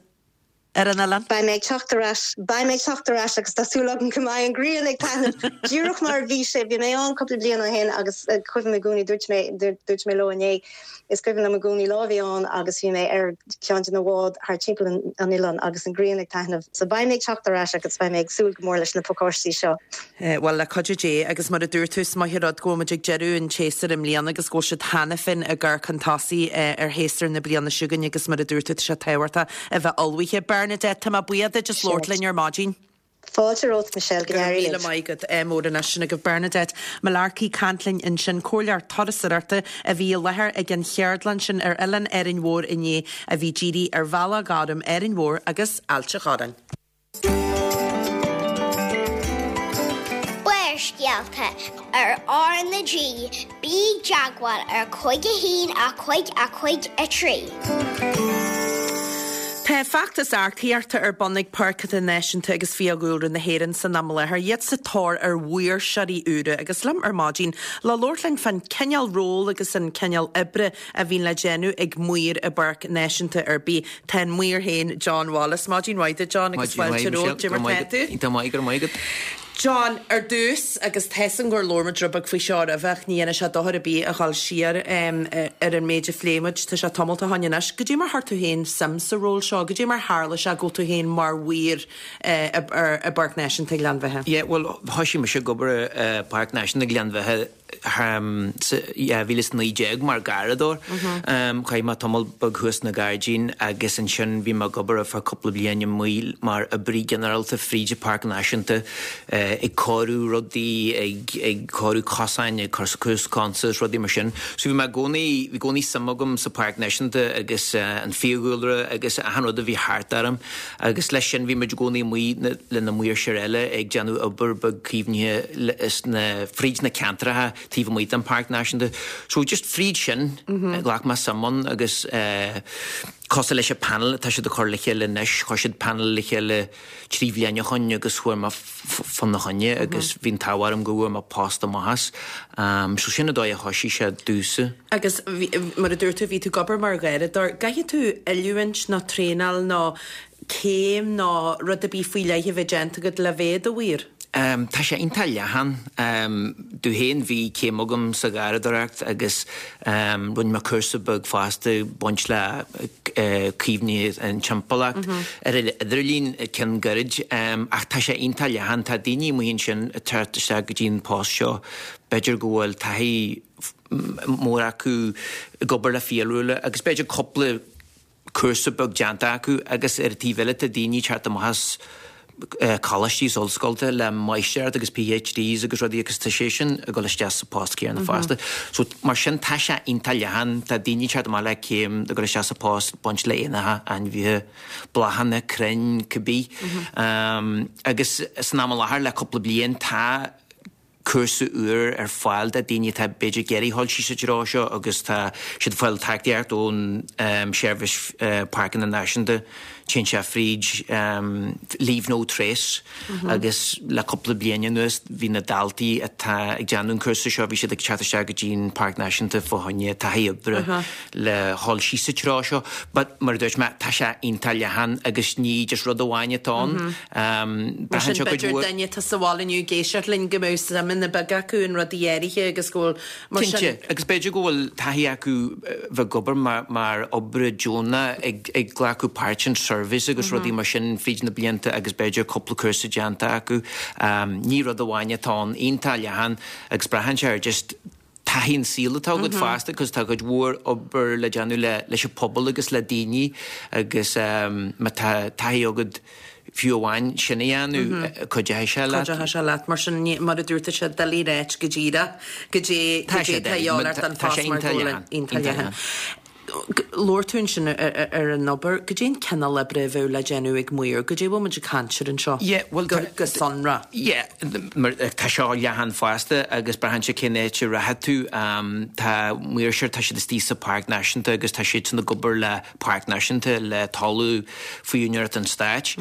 [SPEAKER 1] ar an oileán.
[SPEAKER 6] Beidh mé ag teacht ar ais, beidh mé ag teacht ar ais agus tá súil agam go mbeidh an ghrian ag taitneamh díreach mar a bhí sé. Bhí mé ann cúpla bliain ó shin agus cuimhin i gcónaí, dúirt mé, dúirt mé leo inné, is cuimhin liom i gcónaí lá a bhí ann agus bhí mé ar cheann de na báid thar timpeall an oileáin agus an ghrian ag taitneamh. So beidh mé ag teacht ar ais agus beidh mé ag súil go mór leis na pacáistí seo.
[SPEAKER 1] Bhuel, le cuidiú Dé, agus mar a dúirt tú, is maith an rud go bhfuil muid ag deireadh an tséasúir i mbliana agus go bhfuil siad cheana féin ag amharc chun tosaigh ar shéasúr na bliana seo chugainn agus mar a dúirt tú, tá sé tábhachtach a bheith ullmhaithe. Bernadette, tá mé buíoch duit as labhairt linn ar maidin.
[SPEAKER 6] Fáilte romhat, Michelle, go
[SPEAKER 1] Go raibh míle maith agat. Ádh mór anois sin agaibh. Bernadette Mullarkey ag caint linn ansin, comhairleoir turasóireachta a bhí i láthair ag an cheardlann sin ar Oileán Árainn Mhór inné a bhí dírithe ar Bhealach Gorm, Árainn Mhór agus Ailt a' Chorráin.
[SPEAKER 5] Barrscéalta ar R na G, bí i dteagmháil ar 5 1 5 5 3.
[SPEAKER 1] Tá feachtas earcaíochta ar bun ag Páirceanna Náisiúnta agus Fiadhúlra na hÉireann san am i láthair, iad sa tóir ar mhaoirseoirí úra agus liom ar maidin le labhairt linn fán cineál ról agus an cineál oibre a bhíonn le déanamh ag maor i bpáirc náisiúnta ar bith. Tá an maor féin, John Wallace. Maidin mhaith duit, John, agus fáilte romhat. Cad é mar tá tú?
[SPEAKER 7] Iontach maith, go raibh maith agat.
[SPEAKER 1] John, ar dtús, agus tá 'fhios a'm gur labhair muid rud beag faoi seo roimhe ach ní dhéanfaidh sé dochar ar bith a dhul siar ar an méid a phléigh muid, tá sé tamalt ó shoin anois. Cad é mar chuir tú féin suim sa ról seo? Cad é mar tharla sé go bhfuil tú féin mar mhaor i bPáirc Náisiúnta Ghleann Bheatha?
[SPEAKER 7] Yeah, bhuel, thoisigh mise ag obair i bPáirc Náisiúnta Ghleann Bheatha sa 2019 mar gharradóir. Chaith mé tamall beag thuas sna gairdíní agus ansin bhí mé ag obair ar feadh cúpla bliain amuigh mar oibrí ginearálta fríd an Pháirc Náisiúnta ag cóiriú rudaí, ag cóiriú cosáin, ag cur suas consaes, rudaí mar sin. So bhí mé i gcónaí, bhí i gcónaí suim agam sa Pháirc Náisiúnta agus an fiadhúlra agus achan rud a bhí thart orm. Agus leis sin bhí muid i gcónaí amuigh le na maoirseoirí eile ag déanamh obair beag caomhnaithe sna, fríd na ceantracha taobh amuigh den Páirc Náisiúnta. So just fríd sin ghlac mé suim ann agus cosúil leis an panel atá siad ag cur le chéile anois, chuir siad panel le chéile trí bhliain ó shoin agus chuaigh mé fána choinne agus bhí an t-ádh orm go bhfuair mé post amach as. So sin an dóigh a thoisigh sé domhsa.
[SPEAKER 1] Agus mar a dúirt tú, bhí tú ag obair mar gharradóir. An gcaithfidh tú oiliúint nó traenáil nó céim nó rud ar bith faoi leith a bheith déanta agat le bheith i do mhaor?
[SPEAKER 7] Tá sé iontach leathan. Domh féin bhí céim agam sa gharradóireacht agus rinne mé cúrsa beag fosta ag baint le caomhnú an timpeallacht ar an idirlíon, ceann gairid. Ach tá sé iontach leathan. Tá daoine amuigh ansin ag teacht isteach go dtí an post seo, b'fhéidir go bhfuil taithí mór acu ag obair le fiadhúlra agus b'fhéidir cúpla cúrsa beag déanta acu agus ar an taobh eile tá daoine ag teacht amach as coláistí is ollscoileanna le máistreacht agus PhDs agus rudaí agus tá sé sin ag dul isteach sa post céanna fosta. So mar sin tá sé iontach leathan, tá daoine ag teacht amach le céim ag dul isteach sa post baint le éanacha, ainmhithe, bláthanna, crainn, cibé. Agus san am i láthair le cúpla bliain tá. cúrsa úr ar fáil do daoine atá b'fhéidir ag iarraidh dhul síos sa treo seo agus tá siad ag fáil tacaíocht ón Seirbhís Páirceanna Náisiúnta. Téann sé fríd Leave No Trace agus le cúpla bliain anuas bhí na daltaí atá ag déanamh an cúrsa seo, bhí siad ag teacht isteach go dtí an Páirc Náisiúnta fá choinne taithí oibre le dhul síos sa treo seo. But mar a dúirt mé, tá sé iontach leathan agus ní just rud amháin atá ann.
[SPEAKER 1] Mar sin, b'fhéidir duine atá sa bhaile inniu ag éisteacht linn go mbeadh suimeanna beaga acu in rudaí áirithe agus go bhfuil, mar sin.
[SPEAKER 7] Cinnte, agus b'fhéidir go bhfuil taithí acu bheith ag obair mar oibrí deonach ag glacadh páirt in surveys agus rudaí mar sin fríd na blianta agus b'fhéidir cúpla cúrsa déanta acu. Ní rud amháin atá ann, iontach leathan agus braitheann sé ar just taithí an saoil atá agat fosta cos tá cuid mhór obair le déanamh le leis an pobal agus le daoine agus má tá taithí agat fiú amháin sin a dhéanamh cuideoidh sé leat.
[SPEAKER 1] Cuideoidh sé leat mar sin mar a dúirt sé doiligh a ráit go díreach goidé goidé tá a dhíobháil ort don phost mar go bhfuil iontach leathan. Labhair tú ansin ar an obair. Goidé an cineál oibre a bheadh le déanamh ag maor? Goidé a bhfuil muid ag caint air anseo go sonrath?
[SPEAKER 7] Yeah, mar tá seo leathan fosta agus braitheann sé cén áit a rachaidh tú. Tá maoirseoir, tá siad istigh sa Pháirc Náisiúnta agus tá siadsan ag obair le Páirc Náisiúnta, le talamh faoi úinéireacht an stáit.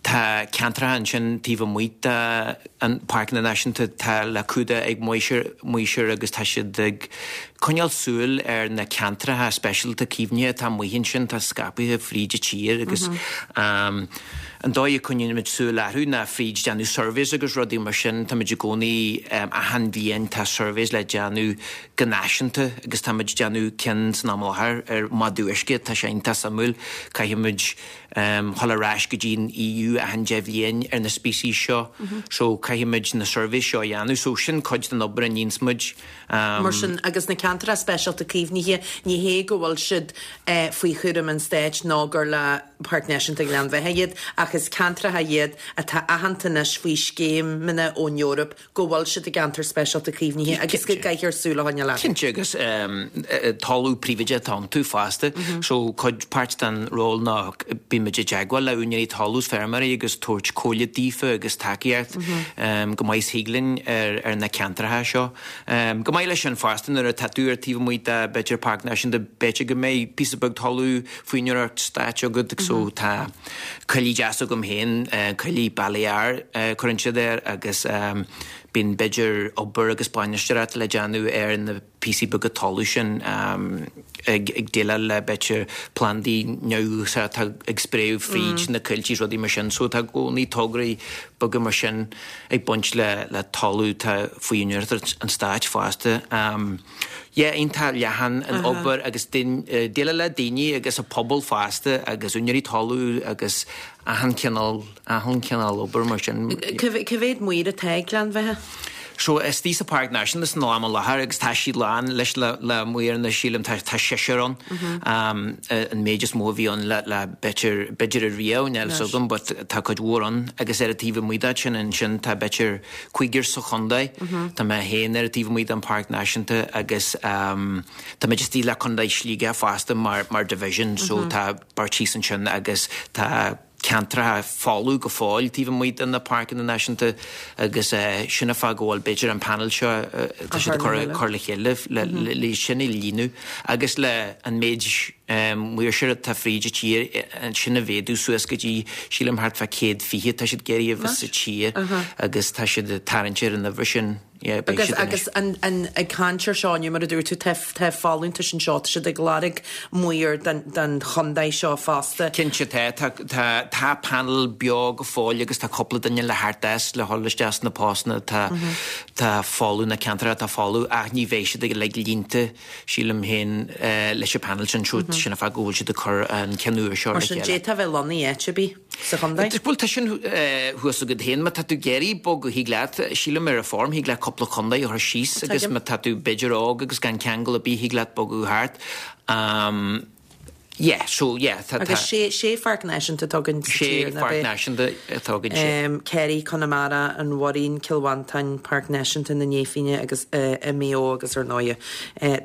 [SPEAKER 7] Tá ceantracha ansin taobh amuigh de na Páirceanna Náisiúnta atá le cumhdach ag maoirseoir agus tá siad ag coinneáil súil ar na ceantracha speisialta caomhnaithe atá amuigh ansin, atá scaipthe fríd an tír agus an dóigh a coinnímid súil orthu ná fríd déanamh surveys agus rudaí mar sin. Táimid i gcónaí, achan bhliain tá surveys le déanamh go náisiúnta agus táimid ag déanamh ceann san am i láthair ar mhadadh uisce, tá sé iontach suimiúil, caithfimid. dhul ar ais go dtí an EU achan 10 bhliain ar na species seo so caithfimid na surveys seo a dhéanamh so sin cuid den obair a níonns muid.
[SPEAKER 1] Mar sin, agus na ceantracha speisialta caomhnaithe, ní hé go bhfuil siad faoi chúram an stáit nó gur le Páirc Náisiúnta Ghleann Bheatha iad ach is ceantracha iad atá aitheanta anois faoi scéimeanna ón Eoraip go bhfuil siad i gceantar speisialta caomhnaithe agus go gcaithfear súil a choinneáil
[SPEAKER 7] orthu. Cinnte, agus talamh príobháideach atá iontu fosta. So cuid, páirt den ról ná bímid i dteagmháil le úinéirí talún is feirmeoirí agus tabhairt comhairle daofa agus tacaíocht go maith is thig linn ar na ceantracha seo. Chomh maith leis sin fosta nuair atá tú ar taobh amuigh de b'fhéidir Páirc Náisiúnta b'fhéidir go mbeidh píosa beag talamh faoi úinéireacht stáit agat so tá coillidh deas agam féin, coillidh Balear cuireann siad air agus bíonn b'fhéidir obair agus bainisteoireacht le déanamh ar na píosaí beaga talamh sin ag déileáil le b'fhéidir plandaí neamhdhúchasacha atá ag spréadh fríd na coilltí is rudaí mar sin. So tá i gcónaí tograí beaga mar sin ag baint le talamh atá faoi úinéireacht an stáit fosta. Yeah, iontach leathan an obair agus déileáil le daoine agus an pobal fosta agus úinéirí talún agus achan cineál, achan cineál obair mar sin.
[SPEAKER 1] Cá mhéad maor atá ag Gleann Bheatha?
[SPEAKER 7] So istigh sa Páirc Náisiúnta san am i láthair agus tá siad lán leis le le maoir sílim tá tá seisear ann an méid is mó a bhí ann le le b'fhéidir b'fhéidir ariamh níl fhios agam but tá cuid mhór ann agus ar an taobh amuigh de sin ansin tá b'fhéidir cúigear sa chontae. Tá mé féin ar an taobh amuigh den Pháirc Náisiúnta agus tá muid istigh le Contae Shligigh fosta mar mar division so tá beirt thíos ansin agus tá ceantracha folamh go fóill taobh amuigh de na Páirceanna Náisiúnta agus sin an fáth go bhfuil b'fhéidir an panel seo tá siad ag cur cur le chéile le le sin a líonadh agus le an méid maoirseoir atá fríd an tír sin a mhéadú suas go dtí, sílim, thart fá 120 tá siad ag iarraidh a bheith sa tír agus tá siad ag tarraingt ar an uimhir sin. Yeah,
[SPEAKER 1] beidh siad anois. Agus an, an, ag caint ar seo inniu, mar a dúirt tú, tá, tá folúntais anseo, tá siad ag lorg maor don, don chontae seo fosta.
[SPEAKER 7] Cinnte tá, tá, tá, tá panel beo go fóill agus tá cúpla duine le theacht as le dhul isteach sna postanna atá, tá folamh, na ceantracha atá folamh ach ní bheidh siad uilig líonta. Sílim féin leis an panel sin, sin an fáth go bhfuil siad ag cur an ceann úr seo
[SPEAKER 1] le chéile. Mar sin, d'fhéadfá a bheith lonnaithe áit ar bith sa chontae?
[SPEAKER 7] Bhuel, tá sin thuas agat féin. Má tá tú ag iarraidh bogadh, thig leat, sílim ar an form, thig leat cúpla contae a chur síos agus má tá tú b'fhéidir óg agus gan ceangal ar bith, thig leat bogadh thart. Yeah, so yeah, tá, tá.
[SPEAKER 1] Agus sé, sé pháirc náisiúnta atá againn sa
[SPEAKER 7] Sé
[SPEAKER 1] tír, ná
[SPEAKER 7] pháirc
[SPEAKER 1] b'é?
[SPEAKER 7] náisiúnta atá againn, sé.
[SPEAKER 1] Kerry, Conamara, an Bhoirín, Cill Mhantáin, Páirc Náisiúnta na Néifínne agus i Maigh Eo agus ar ndóighe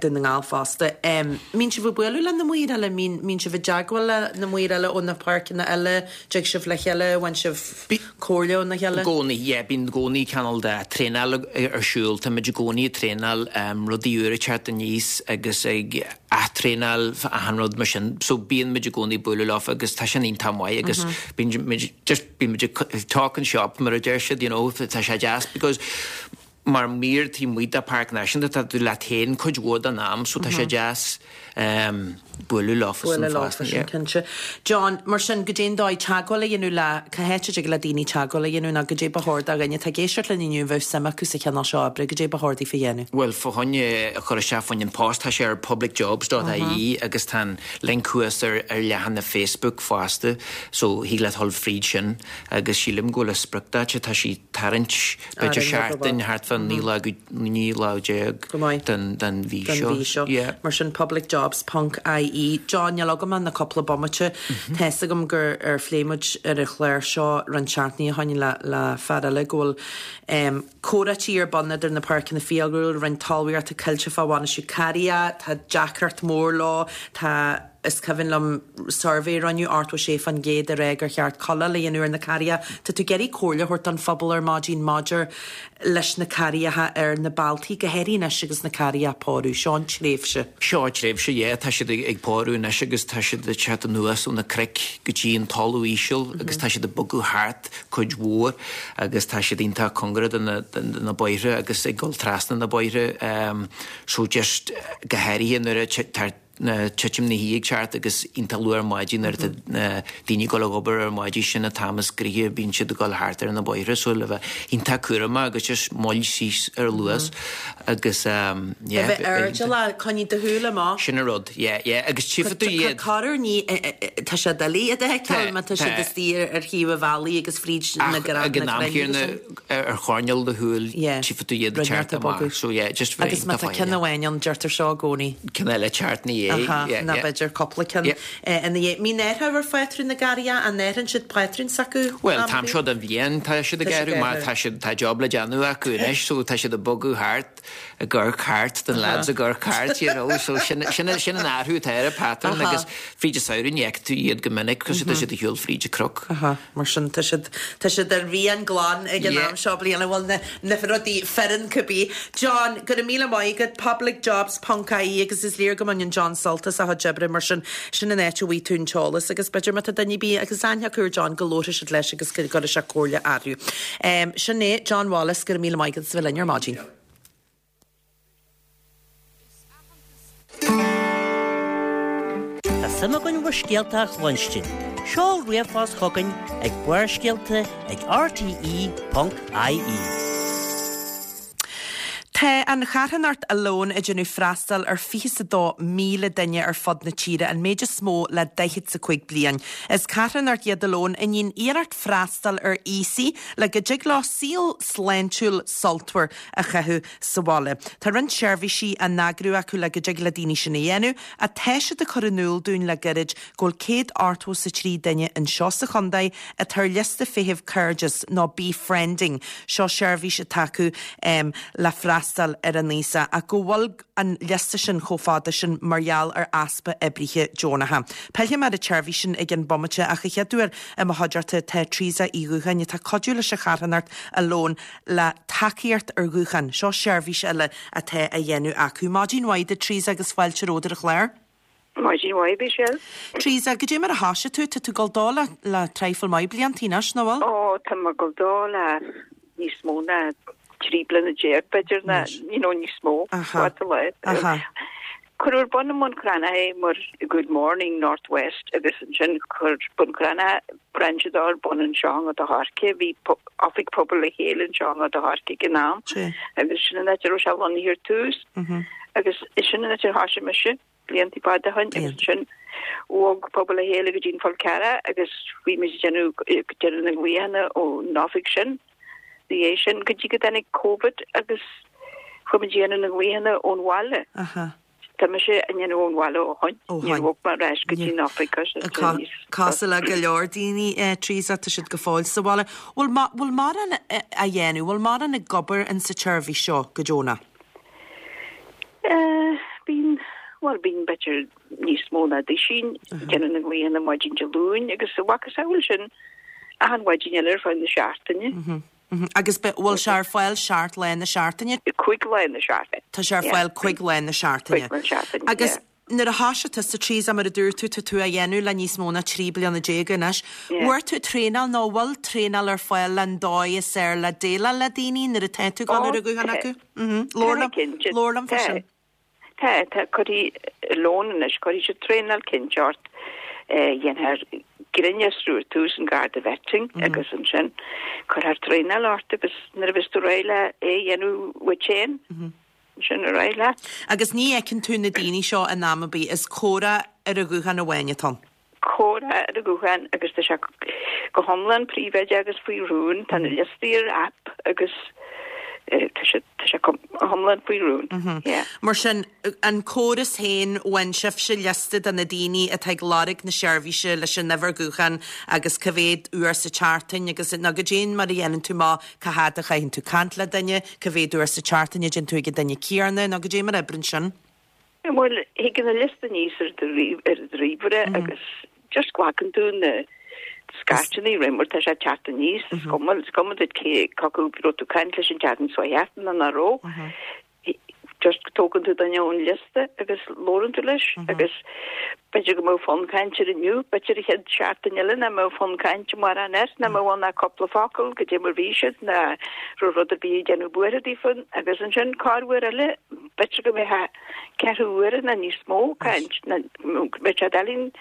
[SPEAKER 1] Dún na nGall fosta. Mbíonn sibh ag bualadh le na maoir eile? Mbíonn, mbíonn sibh i dteagmháil le na maoir eile ó na páirceanna eile? Dtig sibh le chéile? Bhfaigheann sibh comhairle óna chéile?
[SPEAKER 7] I gcónaí, yeah, bíonn i gcónaí cineál de traenáil ar siúl. Táimid i gcónaí ag traenáil, rudaí úra ag teacht aníos agus ag ath-traenáil achan rud mar sin. So bíonn muid i gcónaí ag bualadh leofa agus tá sin iontach maith agus bíonn muid just bíonn muid ag talking shop mar a deir siad, you know, tá sé deas because mar maor taobh amuigh de Páirc Náisiúnta tá tú leat féin cuid mhór den am so tá sé deas bualadh leofa
[SPEAKER 1] san Bualadh leofa sin cinnte. John, mar sin, goidé an dóigh teagmháil a dhéanamh le, cá háit a dtig le daoine teagmháil a dhéanamh nó goidé ba chóir do dhuine atá ag éisteacht linn inniu a bheadh suim acu sa chineál seo oibre, goidé ba chóir daofa a dhéanamh?
[SPEAKER 7] Bhuel, fá choinne a chur isteach fá choinne an post, tá sé ar publicjobs dot ie agus tá an link thuas ar ar leathanach Facebook fosta so thig leat dhul fríd sin agus sílim go bhfuil a spriocdáta, tá sí tarraingt b'fhéidir seachtain thart fán 19 lá 19 lá den den mhí
[SPEAKER 1] den
[SPEAKER 7] seo.
[SPEAKER 1] mhí seo.
[SPEAKER 7] Yeah.
[SPEAKER 1] Mar sin publicjobs ponc ie. John, níl agam ach na cúpla bomaite. Tá fhios agam gur ar phléigh muid ar an chlár seo roinnt seachtainí ó shoin le le fear eile go bhfuil em comhráití ar bun idir na páirceanna fiadhúlra, Roinn Talmhaíochta, Coillte fá bhainistiú carraigheacha, tá deacracht mór leo, tá Is cuimhin liom suirbhé a rinneadh, 86% ag rá gur cheart cuileáil a dhéanamh ar na carraigeacha. Tá tú ag iarraidh comhairle a thabhairt don phobal ar maidin maidir leis na carraigeacha ar na bealtaí, go háirithe anois agus na carraigeacha ag pórú. Seo an tréimhse.
[SPEAKER 7] Seo an tréimhse, yeah. Tá siad ag pórú anois agus tá siad ag teacht anuas ó na cnoic go dtí an talamh íseal agus tá siad ag bogadh thart cuid mhór agus tá siad iontach cóngarach do na bóithre agus ag dul trasna na bóithre. So just go háirithe nuair a tá na titim na hoíche ag teacht agus iontach luath ar maidin nuair atá na daoine ag dul ag obair ar maidin sin an t-am is gnoithí a bíonn siad ag dul thart ar na bóithre so le bheith iontach cúramach agus just moill síos ar luas agus
[SPEAKER 1] yeah. A bheith airdeallach, coinnigh do shúil amach.
[SPEAKER 7] Sin an rud, yeah, yeah agus tchífidh tú iad.
[SPEAKER 1] Corruair ní, tá sé doiligh iad a fheiceáil má tá siad istigh ar thaobh an bhealaigh agus fríd na
[SPEAKER 7] Ach ag an am céanna ar choirnéal do shúil tchífidh tú iad ag teacht amach so yeah just
[SPEAKER 1] bheith Agus má tá ceann amháin ann deirtear seo i gcónaí.
[SPEAKER 7] Ceann eile ag teacht ina dhiaidh.
[SPEAKER 1] Aha, nó b'fhéidir cúpla ceann ina dhiaidh. Mbíonn athrú ar phátrún na gcarraigeacha, an athraíonn siad pátrún s'acu?
[SPEAKER 7] Bhuel, an t-am seo den bhliain tá siad ag athrú mar tá siad, tá job le déanamh acu anois so tá siad ag bogadh thart, ag amharc thart, the lads ag amharc thart, you know, so sin, sin, sin an athrú atá ar an pattern agus fríd an samhradh ní fheiceann tú iad go minic cos tá siad ar shiúl fríd an cnoc.
[SPEAKER 1] Aha. Mar sin, tá siad, tá siad ar mhian glan ag an am seo bliana, bhuel, na, na rudaí fireann cibé. John, go raibh míle maith agat, publicjobs ponc ie agus is léir go mbaineann John sult as a chuid oibre, mar sin, sin an áit a bhfaighidh tú an t-eolas agus b'fhéidir má tá duine ar bith agus aithne acu ar John go labharfaidh siad leis agus go gcuirfidh sé comhairle orthu. Sin é, John Wallace, go raibh míle maith agat as a bheith linn ar maidin.
[SPEAKER 3] Tá suim againn bhur scéalta a chluinstin. Seol ríomhphost chugainn ag barrscéalta ag rte.ie.
[SPEAKER 1] Tá an charthanacht Alone ag déanamh freastal ar 22,000 duine ar fud na tíre, an méid is mó le 45 bliain. Is carthanacht iad Alone a ndéanann iarracht freastal ar aosaigh le go dtig leo saol sláintiúil sultmhar a chaitheamh sa bhaile. Tá roinnt seirbhísí á n-eagrú acu le go dtig le daoine sin a dhéanamh, ach tá siad ag cur in iúl dúinn le gairid go bhfuil 183 duine anseo sa chontae atá ar liosta feithimh Cairdeas nó Befriending, seo seirbhís atá acu le freastal ar an aosach, ach go bhfuil an liosta sin chomh fada sin mar gheall ar easpa oibrithe deonacha. Pillfidh mé ar an tseirbhís sin i gceann bomaite ach a chéaduair i mo chuideachta tá Teresa Uí Dhúcháin atá ag cuidiú leis an charthanacht Alone le tacaíocht ar ghuthán. Seo seirbhís eile atá á dhéanamh acu. Maidin mhaith duit Teresa agus fáilte romhat ar an chlár.
[SPEAKER 8] Maidin mhaith, Michelle.
[SPEAKER 1] Teresa, goidé mar a thoisigh tú? Tá tú ag dul dó le le traidhfil maith bliantaí anois, nach bhfuil?
[SPEAKER 8] Ó, tá mé ag dul dó le níos mó ná 13 bliana b'fhéidir, ná, you know, níos mó.
[SPEAKER 1] Aha.
[SPEAKER 8] Fada lá.
[SPEAKER 1] Aha.
[SPEAKER 8] Cuireadh ar bun i mBun Cranncha é mar Good Morning North West agus ansin chuir Bun Cranncha brainse dó ar bun anseo i nGort a' Choirce. Bhí oifig Pobal le Chéile anseo i nGort a' Choirce ag an am agus sin an áit a raibh sé lonnaithe ar tús agus sin an áit ar thoisigh mise blianta fada ó shin agus ansin bhog Pobal le Chéile go dtí an Fál Carrach agus bhí muid ag déanamh déanamh na nglaochanna ón oifig sin. Ina dhiaidh sin go dtí go dtáinig Covid agus chuaigh muid ag déanamh na nglaochanna ón bhaile. Tá mise á ndéanamh ón bhaile ó shoin.
[SPEAKER 1] Ó
[SPEAKER 8] Níor
[SPEAKER 1] shoin.
[SPEAKER 8] bhog mé ar ais go dtí an oifig cos it's níos.
[SPEAKER 1] Cosúil le go leor daoine, Teresa, tá siad go fóill sa bhaile. Bhfuil bhfuil mórán á dhéanamh, bhfuil mórán ag obair in sa tseirbhís seo go deonach?
[SPEAKER 8] Bíonn, bhuel bíonn b'fhéidir níos mó ná duisín ag déanamh na nglaonna maidin Dé Luain agus a mhacasamhail sin achan mhaidin eile ar feadh na seachtaine.
[SPEAKER 1] Agus bhfuil sé ar fáil seacht lá na seachtaine?
[SPEAKER 8] Cúig lá na seachtaine.
[SPEAKER 1] Tá sé ar fáil cúig lá na seachtaine.
[SPEAKER 8] Cúig lá na seachtaine,
[SPEAKER 1] Agus nuair a thoisigh tusa, Teresa, mar a dúirt tú, tá tú á dhéanamh le níos mó ná 13 bliana anois. Bhfuair tú traenáil nó bhfuil traenáil ar fáil len dóigh is fhearr le déileáil le daoine nuair atá tú ag dul ar an ghuthán acu? Labhair liom, labhair liom fá sin.
[SPEAKER 8] Tá, tá, cuirfidh lón anois, cuirfidh siad traenáil cinnte ort, dhéanfar grinnfhiosrú ar tús an Garda Vetting agus ansin cuirfear traenáil ort agus nuair a bheas tú réidh le é a dhéanamh uait féin, ansin ar aghaidh leat.
[SPEAKER 1] Agus ní fheiceann tú na daoine seo in am ar bith, is comhrá ar an ghuthán amháin atá ann.
[SPEAKER 8] comhrá ar an ghuthán agus tá sé go hiomlán príobháideach agus faoi rún. Tá na liostaí ar app agus tá sé tá sé go hiomlán faoi rún. Yeah.
[SPEAKER 1] Mar sin, an córas féin, bhain sibhse liosta de na daoine atá ag lorg na seirbhíse leis an uimhir ghutháin agus cá mhéad uair sa tseachtain agus nó goidé mar a dhéanann tú amach cá fhad a chaitheann tú caint le duine, cá mhéad uair sa tseachtain a dtéann tú ag an duine céanna nó goidé mar a oibríonn sin.
[SPEAKER 8] Bhuel, thig an liosta aníos ar do ríomhaire agus just glacann tú na scairteanna roimh mar tá sé ag teacht aníos, is cuma, is cuma duit cé acu raibh tú ag caint leis an tseachtain seo thart nó nach raibh. Just tógann tú duine ón liosta agus labhrann tú leis agus b'fhéidir go mbeadh fonn cainte air inniu, b'fhéidir an chéad seachtain eile nach mbeadh fonn cainte mórán air, nach mbeadh ann ach cúpla focal, goidé mar bhí siad, ná raibh rud ar bith ag déanamh buartha daofa agus ansin corruair eile B'fhéidir go mbeadh ceathrú uaire nó níos mó caint, nó go mbeadh sé doiligh an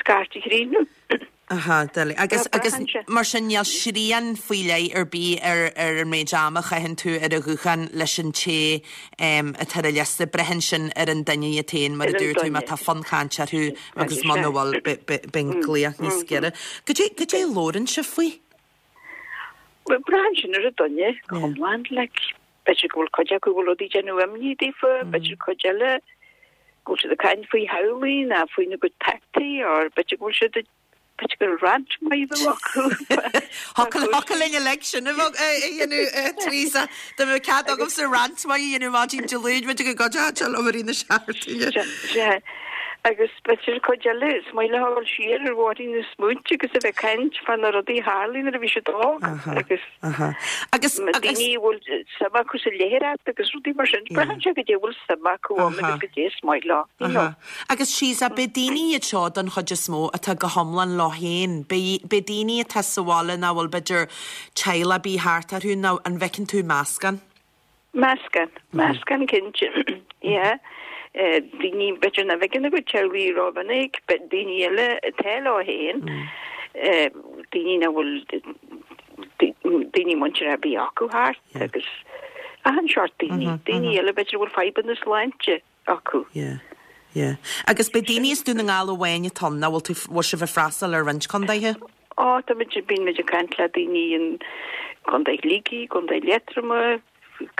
[SPEAKER 8] scairt a chríochnú.
[SPEAKER 1] Aha, doiligh. Agus, agus mar sin níl srian faoi leith ar bith ar, ar an méid ama a chaitheann tú ar an ghuthán leis an té atá ar an liosta. Braitheann sin ar an duine iad féin, mar a dúirt tú, má tá fonn cainte orthu agus muna bhfuil, beidh an glaoch níos giorra. Goidé, goidé a labhrann sibh faoi?
[SPEAKER 8] Bhuel, braitheann sin ar an duine go hiomlán, like. B'fhéidir go bhfuil cuid acu go bhfuil rudaí ag déanamh imní daofa, b'fhéidir cuid eile go bhfuil siad ag caint faoi theaghlaigh ná faoina gcuid peataí or b'fhéidir go bhfuil siad ag, b'fhéidir go bhfuil rant maith a bheith acu.
[SPEAKER 1] Thiocfadh linn uilig sin a bheith a dhéanamh, Teresa. Dá mbeadh cead agamsa rant maith a dhéanamh maidin Dé Luain, b'fhéidir go gcuideodh sé liom i rith na seachtaine.
[SPEAKER 8] Sea. Agus b'fhéidir cuid eile, is maith leo a dhul siar ar bhóithrín na smaointe agus a bheith ag caint fá na rudaí a tharlaigh nuair a bhí siad óg agus.
[SPEAKER 1] Aha. Agus,
[SPEAKER 8] Na
[SPEAKER 1] agus.
[SPEAKER 8] daoine a bhfuil suim acu sa léitheoireacht agus rudaí mar sin, braitheann sé goidé a bhfuil suim acu ann agus goidé is maith leo, you know.
[SPEAKER 1] Aha. Agus Teresa, b'é daoine iad seo don chuid is mó atá go hiomlán leo féin. B'é, b'é daoine atá sa bhaile nach bhfuil b'fhéidir teaghlach ar bith thart orthu nó an bhfeiceann tú meascán?
[SPEAKER 8] Meascán, meascán cinnte, yeah. Daoine b'fhéidir nach bhfeiceann a gcuid teaghlaigh rómhinic, daoine eile atá leo féin, daoine nach bhfuil daoine muinteartha ar bith acu thart agus achan seort daoine, daoine eile b'fhéidir a bhfuil fadhbanna sláinte acu.
[SPEAKER 1] Yeah, yeah. Agus b'é daoine as Dún na nGall amháin atá ann, nó bhfuil tú, bhfuil sibh ag freastal ar roinnt contaetha?
[SPEAKER 8] Ó, tá muid, bíonn muid ag caint le daoine in Contae Shligigh, Contae Liatroma,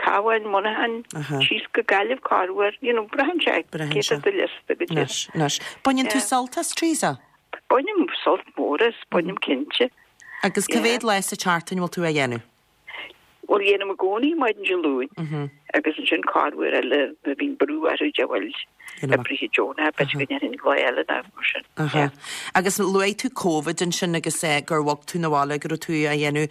[SPEAKER 8] Cabhán, Muineachán, síos go Gaillimh corruair, you know, braitheann sé
[SPEAKER 1] Braitheann
[SPEAKER 8] cé
[SPEAKER 1] sé.
[SPEAKER 8] tá ar do liosta go dtí.
[SPEAKER 1] Anois, anois. Baineann tú
[SPEAKER 8] Yeah.
[SPEAKER 1] sult as, Teresa?
[SPEAKER 8] Bainim sult mór as, bainim cinnte.
[SPEAKER 1] Agus cá
[SPEAKER 8] Yeah.
[SPEAKER 1] mhéad lá sa tseachtain bhfuil tú á dhéanamh?
[SPEAKER 8] Bhuel, dhéanaim i gcónaí maidin Dé Luain agus ansin corruair eile nuair a bhíonn brú orthu de bhuel oibrithe deonacha, b'fhéidir go ndéanfainn lá eile nó mar sin.
[SPEAKER 1] Aha. Agus luaigh tú Covid ansin agus gur bhog tú 'na bhaile, go raibh tú á dhéanamh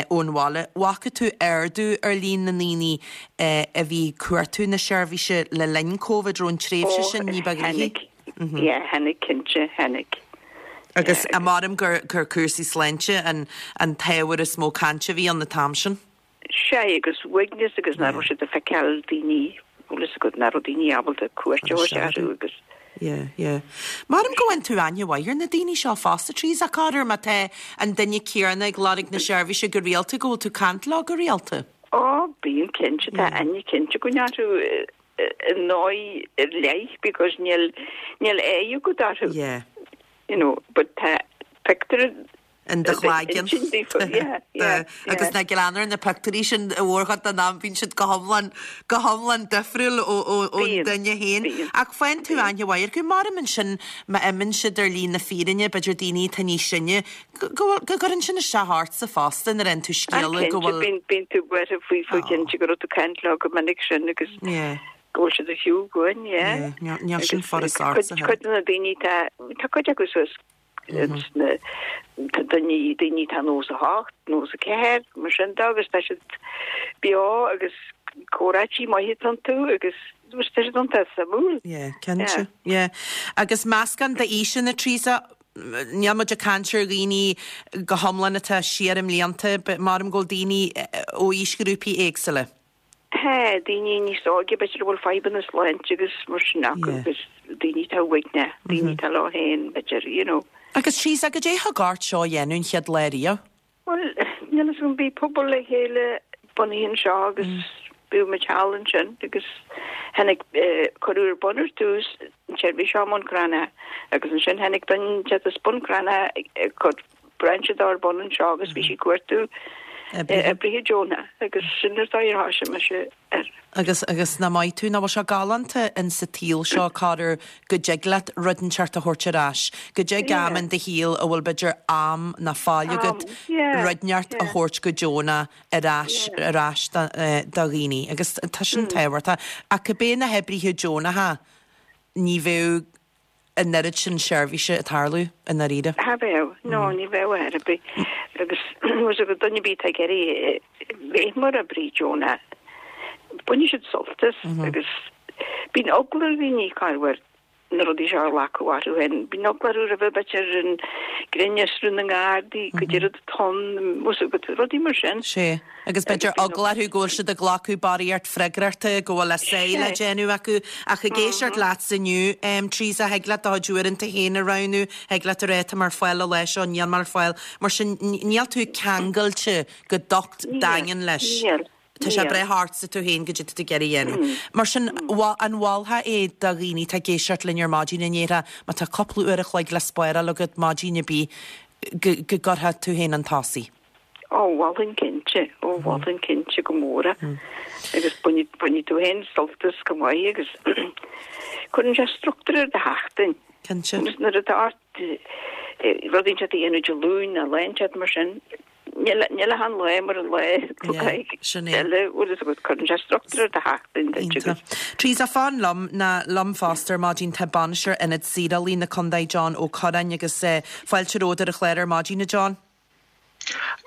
[SPEAKER 1] ón bhaile. Bhfaca tú ardú ar líon na ndaoine a bhí ag cuartú na seirbhíse le linn Covid, raibh an tréimhse sin ní ba ghnoithí?
[SPEAKER 8] Tháinig, yeah, tháinig cinnte, tháinig.
[SPEAKER 1] Agus measaim gur gur cúrsaí sláinte an an t-ábhar is mó cainte a bhí ann an t-am sin.
[SPEAKER 8] Sea, agus uaigneas agus nach raibh siad ag feiceáil daoine, bhfuil fhios agat, nach raibh daoine ábalta cuairt a thabhairt orthu agus.
[SPEAKER 1] Yeah, yeah. Measaim go bhfaigheann tú aithne mhaith ar na daoine seo fosta, Teresa, corruair má tá an duine céanna ag lorg na seirbhíse go rialta, go bhfuil tú ag caint leo go rialta.
[SPEAKER 8] Ó, bíonn cinnte, tá aithne cinnte againn orthu. i ndóigh ar leith because níl níl aghaidh agat orthu.
[SPEAKER 1] Yeah.
[SPEAKER 8] You know, but tá pictiúr
[SPEAKER 1] In do chloigeann. Agus ná glan ar na pictiúirí sin i mórchuid den am bíonn siad go hiomlán, go hiomlán difriúil ón duine féin. Ach faigheann tú aithne mhaith orthu. Maram ansin má imíonn siad ar shlí na fírinne, b'fhéidir daoine atá níos sine, go bhfuil, go gcuireann sin isteach ortsa fosta nuair a fhaigheann tú scéala go bhfuil.
[SPEAKER 8] Bíonn, bíonn tú buartha faoi, faoi cinnte go raibh tú ag caint leo go minic sin agus go bhfuil siad ar shiúl uainn, yeah.
[SPEAKER 1] Níl sin furast ortsa.
[SPEAKER 8] Cuid de na daoine tá, tá cuid acu suas na daoine daoine atá 98, 94, mar sin de agus tá siad beo agus comhráití maithe iontu agus tá siad iontach suimiúil.
[SPEAKER 1] Yeah, cinnte. Yeah. Agus meascán d'aoiseanna, Teresa, níl muid ag caint ar dhaoine go hiomlán atá siar i mblianta, but maram go bhfuil daoine ó aoisghrúpaí éagsúla.
[SPEAKER 8] Tá daoine níos óige, b'fhéidir a bhfuil fadhbanna sláinte agus mar sin acu agus daoine atá uaigneach, daoine atá leo féin, b'fhéidir, you know.
[SPEAKER 1] Agus Teresa, goidé thug ort seo a dhéanamh an chéad lá riamh?
[SPEAKER 8] Bhuel, níl fhios agam, bhí pobal le chéile bunaithe anseo agus bhí muid thall ansin agus tháinig, cuireadh ar bun ar dtús an tseirbhís seo i mBun Cranncha agus ansin tháinig duine inteacht as Bun Cranncha ag cur brainse dó ar bun anseo agus bhí sí ag cuartú oibrithe deonacha agus sin an dóigh ar thoisigh mise air.
[SPEAKER 1] Agus, agus nach maith tú, nach bhfuil sé galánta in sa tsaol seo corruair go dtig leat rud inteacht a thabhairt ar ais, go dtig am in do shaol a bhfuil b'fhéidir am ná fáil agat rud inteacht a thabhairt go deonach ar ais, ar ais do, do dhaoine agus tá sin tábhachtach. Ach cibé na hoibrithe deonacha ní bheadh an oiread sin seirbhíse ag tarlú, i ndáiríre.
[SPEAKER 8] Cha bheadh, no, ní bheadh ar bith. Agus bhfuil fhios agat duine ar bith atá ag iarraidh bheith mar oibrí deonach, bainfidh siad sult as agus bíonn eagla ar dhaoine corruair na rudaí seo a ghlacadh orthu féin. Bíonn eagla orthu roimhe b'fhéidir an grinnfhiosrú na nGardaí, goidé rud atá ann, bhfuil fhios agat, rudaí mar sin.
[SPEAKER 1] Sea. Agus b'fhéidir eagla orthu go bhfuil siad ag glacadh barraíocht freagrachta, go bhfuil a sáith le déanamh acu. Ach ag éisteacht leatsa inniu, Teresa, thig leat do chuid uaireanta féin a roghnú, thig leat a rá tá mé ar fáil an lá seo, níl mé ar fáil. Mar sin, níl tú ceangailte go docht daingean leis.
[SPEAKER 8] Níl.
[SPEAKER 1] Tá sé ag brath ortsa tú féin goidé tá tú ag iarraidh a dhéanamh. Mar sin, an mholfá é do dhaoine atá ag éisteacht linn ar maidin a ndéarfá, má tá cúpla uair a chloig le spáráil agat maidin ar bith, go gcuirfeá tú féin chun tosaigh?
[SPEAKER 8] Ó, mholfainn cinnte, ó, mholfainn cinnte go mór é. Agus bainfidh tú féin sult as go maith agus cuireann sé struchtúr ar do sheachtain.
[SPEAKER 1] Cinnte.
[SPEAKER 8] Agus nuair atá ort rud inteacht a dhéanamh Dé Luain nó lá inteacht mar sin, níl ach an lá mar an lá eile, bhfuil fhios agat, cuireann sé struchtúr ar do sheachtain duit agus.
[SPEAKER 1] Teresa, fan liom, ná liom fosta ar maidin tá Bainisteoir Ionad Saorálaí na Condae John Ó Curráin agus fáilte romhat ar an chlár ar maidin, a John.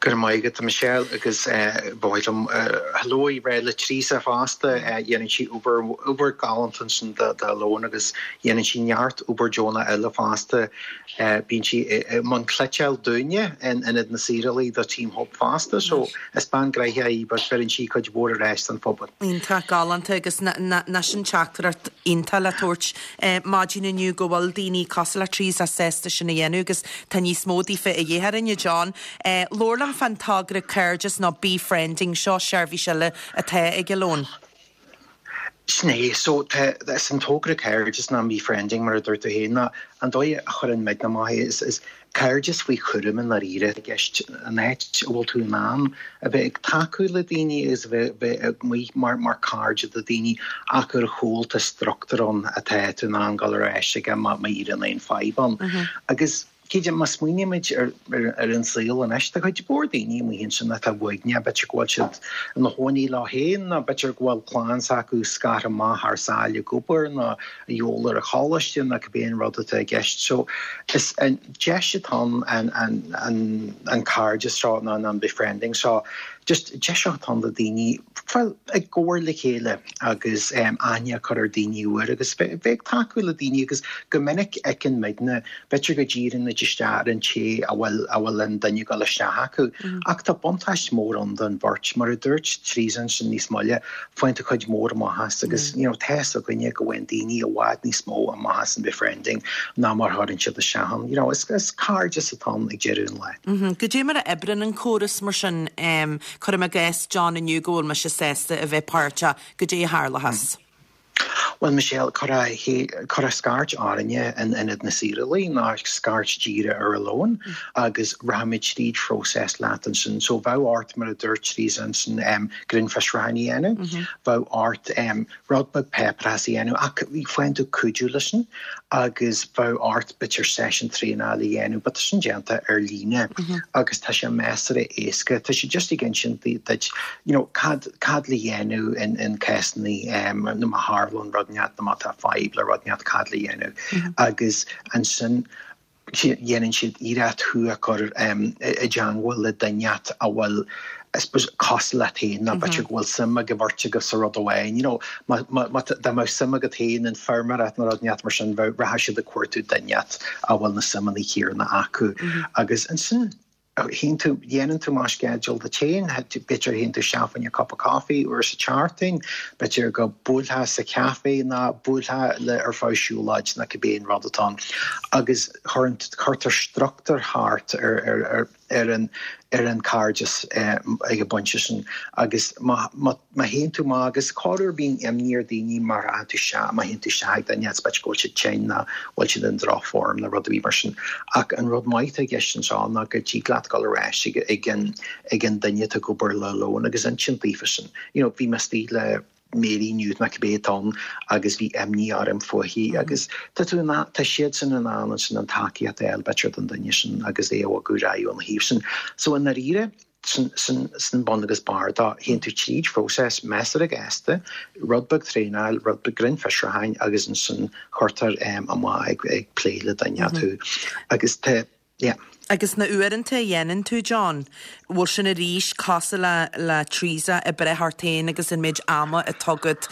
[SPEAKER 9] Go raibh maith agat, a Michelle, agus ba mhaith liom hello a rá le Teresa fosta. Dhéanann sí obair, obair galánta ansin do Lón agus dhéanann sí neart obair deonach eile fosta. Bíonn sí i mbun cleiteáil dúinne in Ionad na Saorálaí do Team Hope fosta so is bean gnoitheach í but bheireann sí cuid mhór ar ais don phobal.
[SPEAKER 1] Iontach galánta agus nach sin teachtaireacht iontach le tabhairt maidin inniu go bhfuil daoine cosúil le Teresa sásta sin a dhéanamh agus tá níos mó daofa a dhíth orainn, a John. Labhair liom fán togra Cairdeas nó Befriending, seo seirbhís eile atá ag Alone.
[SPEAKER 9] Sin é, so tá, is an togra Cairdeas nó Befriending mar a dúirt tú féin ná an dóigh a chuireann muidne amach é is, is cairdeas faoi chúram i ndáiríre i gceist, an áit a bhfuil tú in ann a bheith ag tacú le daoine agus a bheith bheith amuigh mar mar cairde do daoine ach ar a chúl tá struchtúr ann atá tú in ann dul ar ais aige má má éiríonn aon fadhb ann. Agus cinnte má smaoinímid ar ar ar an saol anois tá cuid mhór daoine amuigh ansin atá uaigneach, b'fhéidir go bhfuil siad ina chónaí leo féin nó b'fhéidir go bhfuil clann s'acu scartha amach thar sáile ag obair nó a dhul ar an choláiste nó cibé an rud atá i gceist. So is an deis atá ann an an an cairdeas seo nó an befriending seo, just deis atá ann do daoine fáil i gcomhar le chéile agus aithne a chur ar daoine úr agus bheith ag tacú le daoine agus go minic fheiceann muidne B'fhéidir go díríonn muid isteach ar an té a bhfuil a bhfuil an duine ag dul isteach acu. Ach tá buntáiste mór ann don bheirt. Mar a dúirt Teresa ansin níos moille, faigheann tú cuid mhór amach as agus you know tá fhios againne go bhfaigheann daoine i bhfad níos mó amach as an befriending ná mar a chuireann siad isteach ann. You know is is cairdeas atá ann ag deireadh an
[SPEAKER 1] lae. Goidé mar a oibreann an córas mar sin? Cuirim i gcás, John, inniu go bhfuil mise sásta a bheith páirteach. Goidé a tharlóchas?
[SPEAKER 9] Bhuel, Michelle, cuirfeá scairt orainne in Ionad na Saorálaí nó scairt díreach ar Alone agus rachaimid tríd phróiseas leat ansin. So bheadh ort, mar a dúirt Teresa ansin, grinnfhiosrúchán a dhéanamh, bheadh ort rud beag páipéarachas a dhéanamh ach faigheann tú cuidiú leis sin agus bheadh ort b'fhéidir seisiún traenála a dhéanamh but tá sin déanta ar líne agus tá sé measartha éasca. Tá sé just ag insint duit you know cad cad le dhéanamh in in cásanna nó má tharlaíonn rud inteacht nó má tá fadhb le rud inteacht cad le dhéanamh agus ansin dhéanann siad iarracht thú a chur i dteangmháil le duine inteacht a bhfuil I suppose cosúil leat féin nó b'fhéidir go bhfuil suim ag an bheirt agaibh sa rud amháin you know má má dá mbeadh suim agat féin in feirmeoireacht nó rud inteacht mar sin bheadh rachadh siad ag cuartú duine inteacht a bhfuil na suimeanna céanna acu agus ansin Théann tú, dhéanann tú amach sceideal duit féin, b'fhéidir théann tú isteach fá choinne cup of coffee uair sa tseachtain, b'fhéidir go buailfeá sa chaife nó buailfeá le ar feadh siúlóid nó cibé an rud atá ann agus cuirtear struchtúr thart ar ar ar ar an ar an cairdeas ag an bpointe sin agus má má Má théann tú amach, agus corruair bíonn imní ar daoine má rachaidh tú isteach, má théann tú isteach ag duine, is b'fhéidir go bhfuil siad tinn nó bhfuil siad in drochfhoirm nó rud ar bith mar sin. Ach an rud maith atá i gceist anseo ná go dtig leat dul ar ais ag ag an ag an duine atá ag obair le Alone agus insint daofa sin, you know, bhí mé istigh le Mary inniu nó cibé atá ann agus bhí imní orm fúithi agus tá tú in ann, tá siadsan in ann ansin an tacaíocht a fháil b'fhéidir don duine sin agus é a bhogadh ar aghaidh óna thaobh sin. So i ndáiríre, Sin bun agus barr dó. Théann tú tríd phróiseas measartha gasta, rud beag traenáil, rud beag grinnfhiosrúcháin agus ansin cuirtear amach ag plé le duine tú. Agus tá, yeah.
[SPEAKER 1] Agus na uaireanta a dhéanann tú, John, bhfuil sin arís cosúil le le Teresa ag breith ort féin agus an méid ama atá agat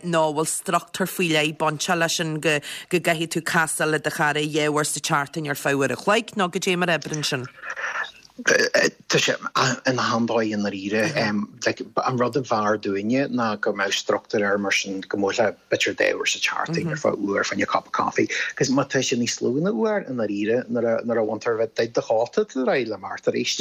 [SPEAKER 1] nó bhfuil struchtúr faoi leith bainteach leis sin go go gcaithfidh tú casáil le do chara dhá uair sa tseachtain ar feadh uair a chloig nó goidé mar a oibreann sin?
[SPEAKER 9] Tá sé in achan dóigh i ndáiríre. Like, an rud a b'fhearr dúinne ná go mbeadh struchtúr air mar sin go mbuailfeá b'fhéidir dhá uair sa tseachtain ar feadh uair fá choinne cup of coffee. Cos má tá sé níos lú ná uair i ndáiríre nuair a nuair a bhaintear bheith duit do chóta tá tú ar aghaidh le imeacht arís.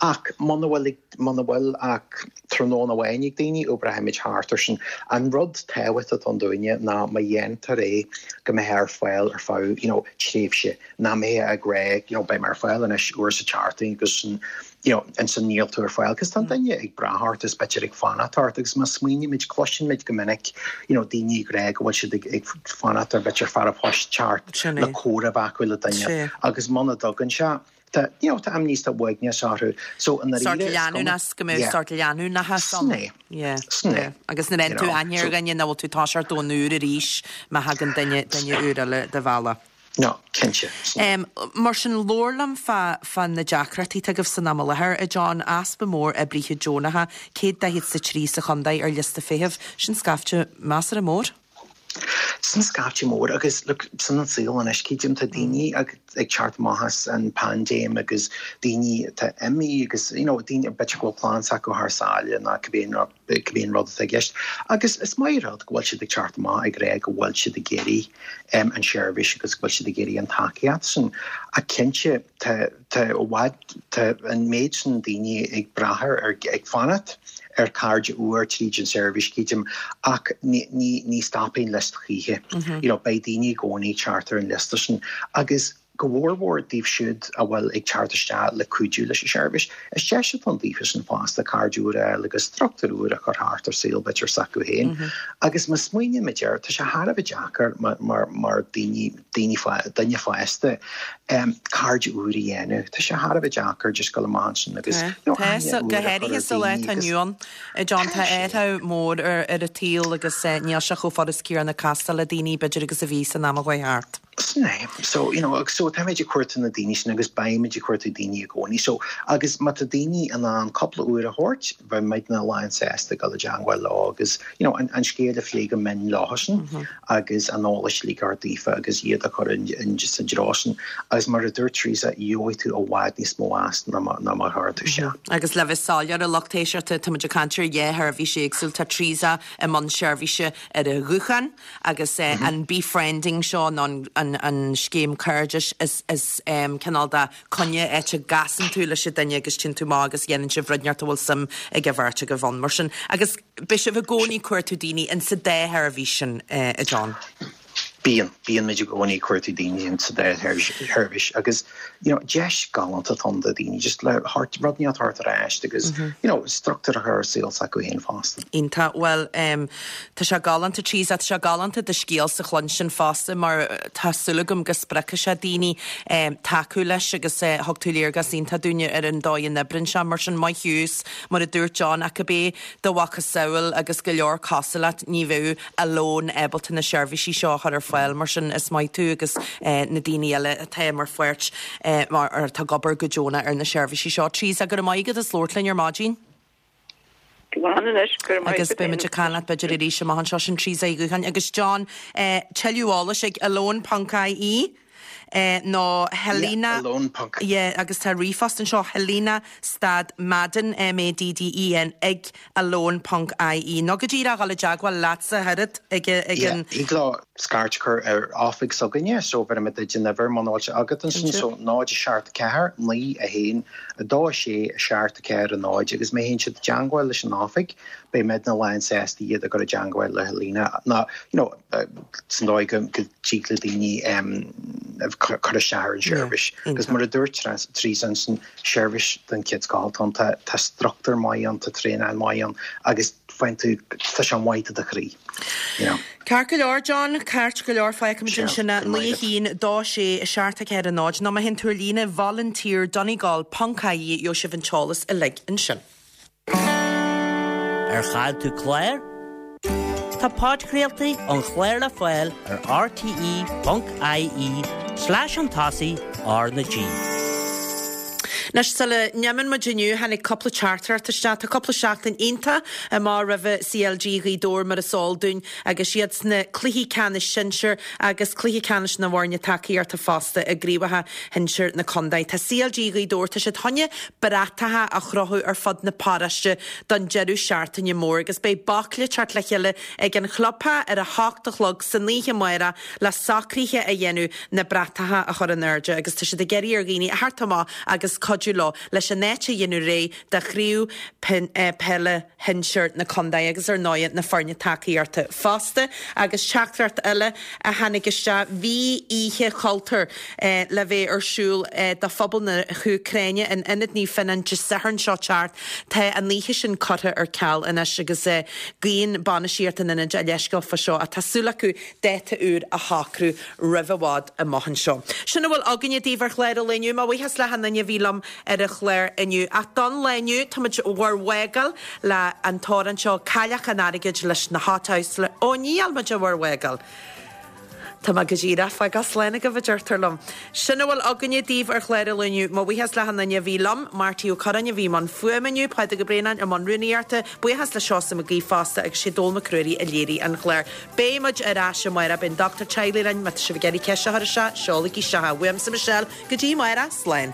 [SPEAKER 9] Ach muna bhfuil muna bhfuil ach tráthnóna amháin ag daoine oibreoimid thart ar sin. An rud tábhachtach atá ann dúinne ná má dhéantar é go mbeifeá ar fáil ar feadh you know tréimhse nach mbeifeá ag rá you know beidh mé ar fáil anois uair sa tseachtain agus you know ansin níl tú ar fáil cos tá an duine ag brath ort is b'fhéidir ag fanacht ort agus má smaoinímid cloisimid go minic you know daoine ag rá go bhfuil siad ag ag fanacht ar b'fhéidir fear an phoist teacht le comhrá a bheith acu le duine agus muna dtagann sé tá you know tá imní is tá uaigneas orthu so i
[SPEAKER 1] ndáiríre Sórt leanúnas go mbeadh sórt leanúnachas ann.
[SPEAKER 9] Sin é.
[SPEAKER 1] Yeah.
[SPEAKER 9] Sin é.
[SPEAKER 1] Agus nuair a fhaigheann tú aithne ar dhuine nach bhfuil tú ag toiseacht ón úr arís má thagann duine duine úr eile do bhealach.
[SPEAKER 9] No, cinnte.
[SPEAKER 1] Mar sin, labhair liom fá, fá na deacrachtaí atá agaibh san am i láthair, a John, easpa mór oibrithe deonacha, 143 sa chontae ar liosta feithimh, sin scaifte measartha mór.
[SPEAKER 9] Sin scaifte mór agus look, sin an saol anois, creidim, tá daoine ag teacht amach as an paindéim agus daoine atá imithe agus you know, daoine b'fhéidir go bhfuil clann s'acu thar sáile nó cibé an rud. cibé an rud atá i gceist. Agus is maith an rud go bhfuil siad ag teacht amach ag rá go bhfuil siad ag iarraidh an seirbhís agus go bhfuil siad ag iarraidh an tacaíocht sin. Ach cinnte, tá, tá i bhfad, tá an méid sin daoine ag brath ar, ar, ag fanacht ar cairde úr tríd an seirbhís, creidim, ach ní, ní, ní stopfaidh an liosta choíche. You know, beidh daoine i gcónaí ag teacht ar an liosta sin. Agus. Go mhórmhór daoibh siúd a bhfuil ag teacht isteach le cuidiú leis an seirbhís, is deis atá ann daofa sin fosta cairde úr a fháil agus struchtúr úr a chur thart ar saol b'fhéidir s'acu féin. Agus má smaoinímid air, tá sé thar a bheith deacair mar mar daoine, daoine, duine fásta, cairde úr a dhéanamh. Tá sé thar a bheith deacair just dul amach ansin agus you know aithne
[SPEAKER 1] úr a chur ar daoine agus. Go háirithe sa lá atá inniu ann, a John, tá athrú mór ar an tsaol agus níl sé chomh furast céanna castáil le daoine b'fhéidir agus a bhí san am a chuaigh thart.
[SPEAKER 9] Sin é. So, you know, so táimid ag cuartú na daoine sin agus beimid ag cuartú daoine i gcónaí. So, agus má tá daoine in ann cúpla uair a thabhairt, beidh muidne lánsásta dul i dteangmháil leo agus, you know, an, an scéal a phlé go mion leosan agus an eolas uilig a thabhairt daofa agus iad a chur in, in, sa dtreo sin. Agus mar a dúirt Teresa, gheobhaidh tú i bhfad níos mó as ná mar, ná mar a chuir tú isteach.
[SPEAKER 1] Agus le bheith soiléir a lucht éisteachta, tá muid ag caint ar dhá sheirbhís éagsúil. Tá Teresa i mbun seirbhíse ar an ghuthán, Agus an befriending seo nó an an scéim cairdis, is is cineál de coinne áit a gcasann tú leis an duine agus téann tú amach agus dhéanann sibh rud inteacht a bhfuil suim ag an bheirt agaibh ann mar sin. Agus beidh sibh i gcónaí ag cuartú daoine in sa dá sheirbhís sin, a John.
[SPEAKER 9] Bíonn, bíonn muid i gcónaí ag cuartú daoine in sa dá sheirbhís agus you know deis galánta atá ann do daoine just le rud inteacht a thabhairt ar ais agus you know struchtúr a chur ar saol s'acu féin fosta.
[SPEAKER 1] Iontach. Bhuel em tá sé galánta Teresa, tá sé galánta do scéalsa a chluinstin fosta mar tá súil agam go spreagfaidh sé daoine em tacú leis agus eh thug tú léargas iontach dúinne ar an dóigh a n-oibríonn sé mar sin maith thú is mar a dúirt John ach cibé do mhacasamhail agus go leor cosúil leat ní bheadh Alone ábalta na seirbhísí seo a chur ar fáil mar sin is maith tú agus na daoine eile atá mar pháirt mar atá ag obair go deonach ar na seirbhísí seo. Teresa, go raibh maith agat as labhairt linn ar maidin.
[SPEAKER 8] Slán anois, go raibh maith
[SPEAKER 1] Agus
[SPEAKER 8] agat
[SPEAKER 1] beidh muid ag caint leat b'fhéidir arís amach anseo sin Teresa Uí Dhúcháin agus John tuilleadh eolais ag alone.ie. nó Helena.
[SPEAKER 9] Yeah, alone ponc.
[SPEAKER 1] Yeah, agus tá ríomhphost anseo, Helena stad Madden, M-A-D-D-E-N, ag alone ponc ie. Nó go díreach dul i dteagmháil leatsa oiread ag
[SPEAKER 9] ag
[SPEAKER 1] an.
[SPEAKER 9] Yeah, thig leo scairt a chur ar oifig s'againne, so bhéarfaidh mé duit an uimhir muna bhfuil sé agat ansin, so 0 7 4 9 1 2 6 7 4 0 agus má théann siad i dteagmháil leis an oifig, beidh muidne lánsásta iad a chur i dteagmháil le Helena nó, you know, san dóigh go dtig le daoine cur isteach ar an seirbhís. Agus mar a dúirt Teresa ansin, seirbhís den chéad scoth atá ann, tá struchtúr maith ann, tá traenáil maith ann agus faigheann tú, tá sé maith do do chroí, you know.
[SPEAKER 1] Ceart go leor, John, ceart go leor, fágfaimid ansin é, 9 1 2 6 7 4 0, nó má théann tú ar líne, volunteer donegal ponc ie, gheobhaidh sibh an t-eolas uilig ansin.
[SPEAKER 3] Ar chaill tú clár? Tá podchraoltaí an chláir le fáil ar rte.ie slash an tosaigh R na G.
[SPEAKER 1] Anois, sula n-imíonn muid inniu, tháinig cúpla teachtaireacht isteach. Tá cúpla seachtain iontach amach roimhe CLG Ghaoth Dobhair mar is eol dúinn agus iad sna cluichí ceannais sinsir agus cluiche ceannais na bhfoirne tacaíochta fosta i gcraobhacha shinsir na contae. Tá CLG Ghaoth Dobhair, tá siad chun bratacha a chrochadh ar fud na paróiste don deireadh seachtaine mór agus beidh baicle teacht le chéile ag an chlubtheach ar a hocht a chlog san oíche amárach le socruithe a dhéanamh na bratacha a chur in airde agus tá siad ag iarraidh ar dhaoine a theacht amach agus cuidiú leo leis an áit a dhéanamh réidh do chraobh peile shinsir na contae agus ar ndóighe na foirne tacaíochta fosta. Agus teachtaireacht eile a tháinig isteach, bhí Oíche Chultúir le bheith ar siúl do phobal na hÚcráine in Ionad Naomh Fionnán Dé Sathairn seo teacht. Tá an oíche sin curtha ar ceal anois agus guíonn bainistíocht an Ionaid a leithscéal fá seo ach tá súil acu dáta úr a shocrú roimh i bhfad amach anseo. Sin a bhfuil againne daoibh ar chlár an lae inniu. Mo bhuíochas le hachan duine a bhí liom ar an chlár inniu. Ach don lá inniu, táimid bhur bhfágáil le an t-amhrán seo, Cailleach an Airgid leis na Hothouse le, ó ní fheil muid bhur bhfágáil! Tá mé go díreach ag fágáil slán agaibh a deirtear liom. Sin a bhfuil againne daoibh ar chlár an lae inniu. Mo bhuíochas le hachan duine a bhí liom, Marty Ó Curráin a bhí i mbun fuaime inniu, Pádraig Ó Braonáin i mbun rúnaíochta, buíochas le Seosamh Mac Aoidh fosta agus sé Dónall Mac Ruairí a léirigh an chlár. Beidh muid ar ais amárach, beidh an dochtúir teaghlaigh linn, má tá sibh ag iarraidh ceist a chur isteach, seolaigí isteach é. Uaimse Michelle, go dtí amárach, slán.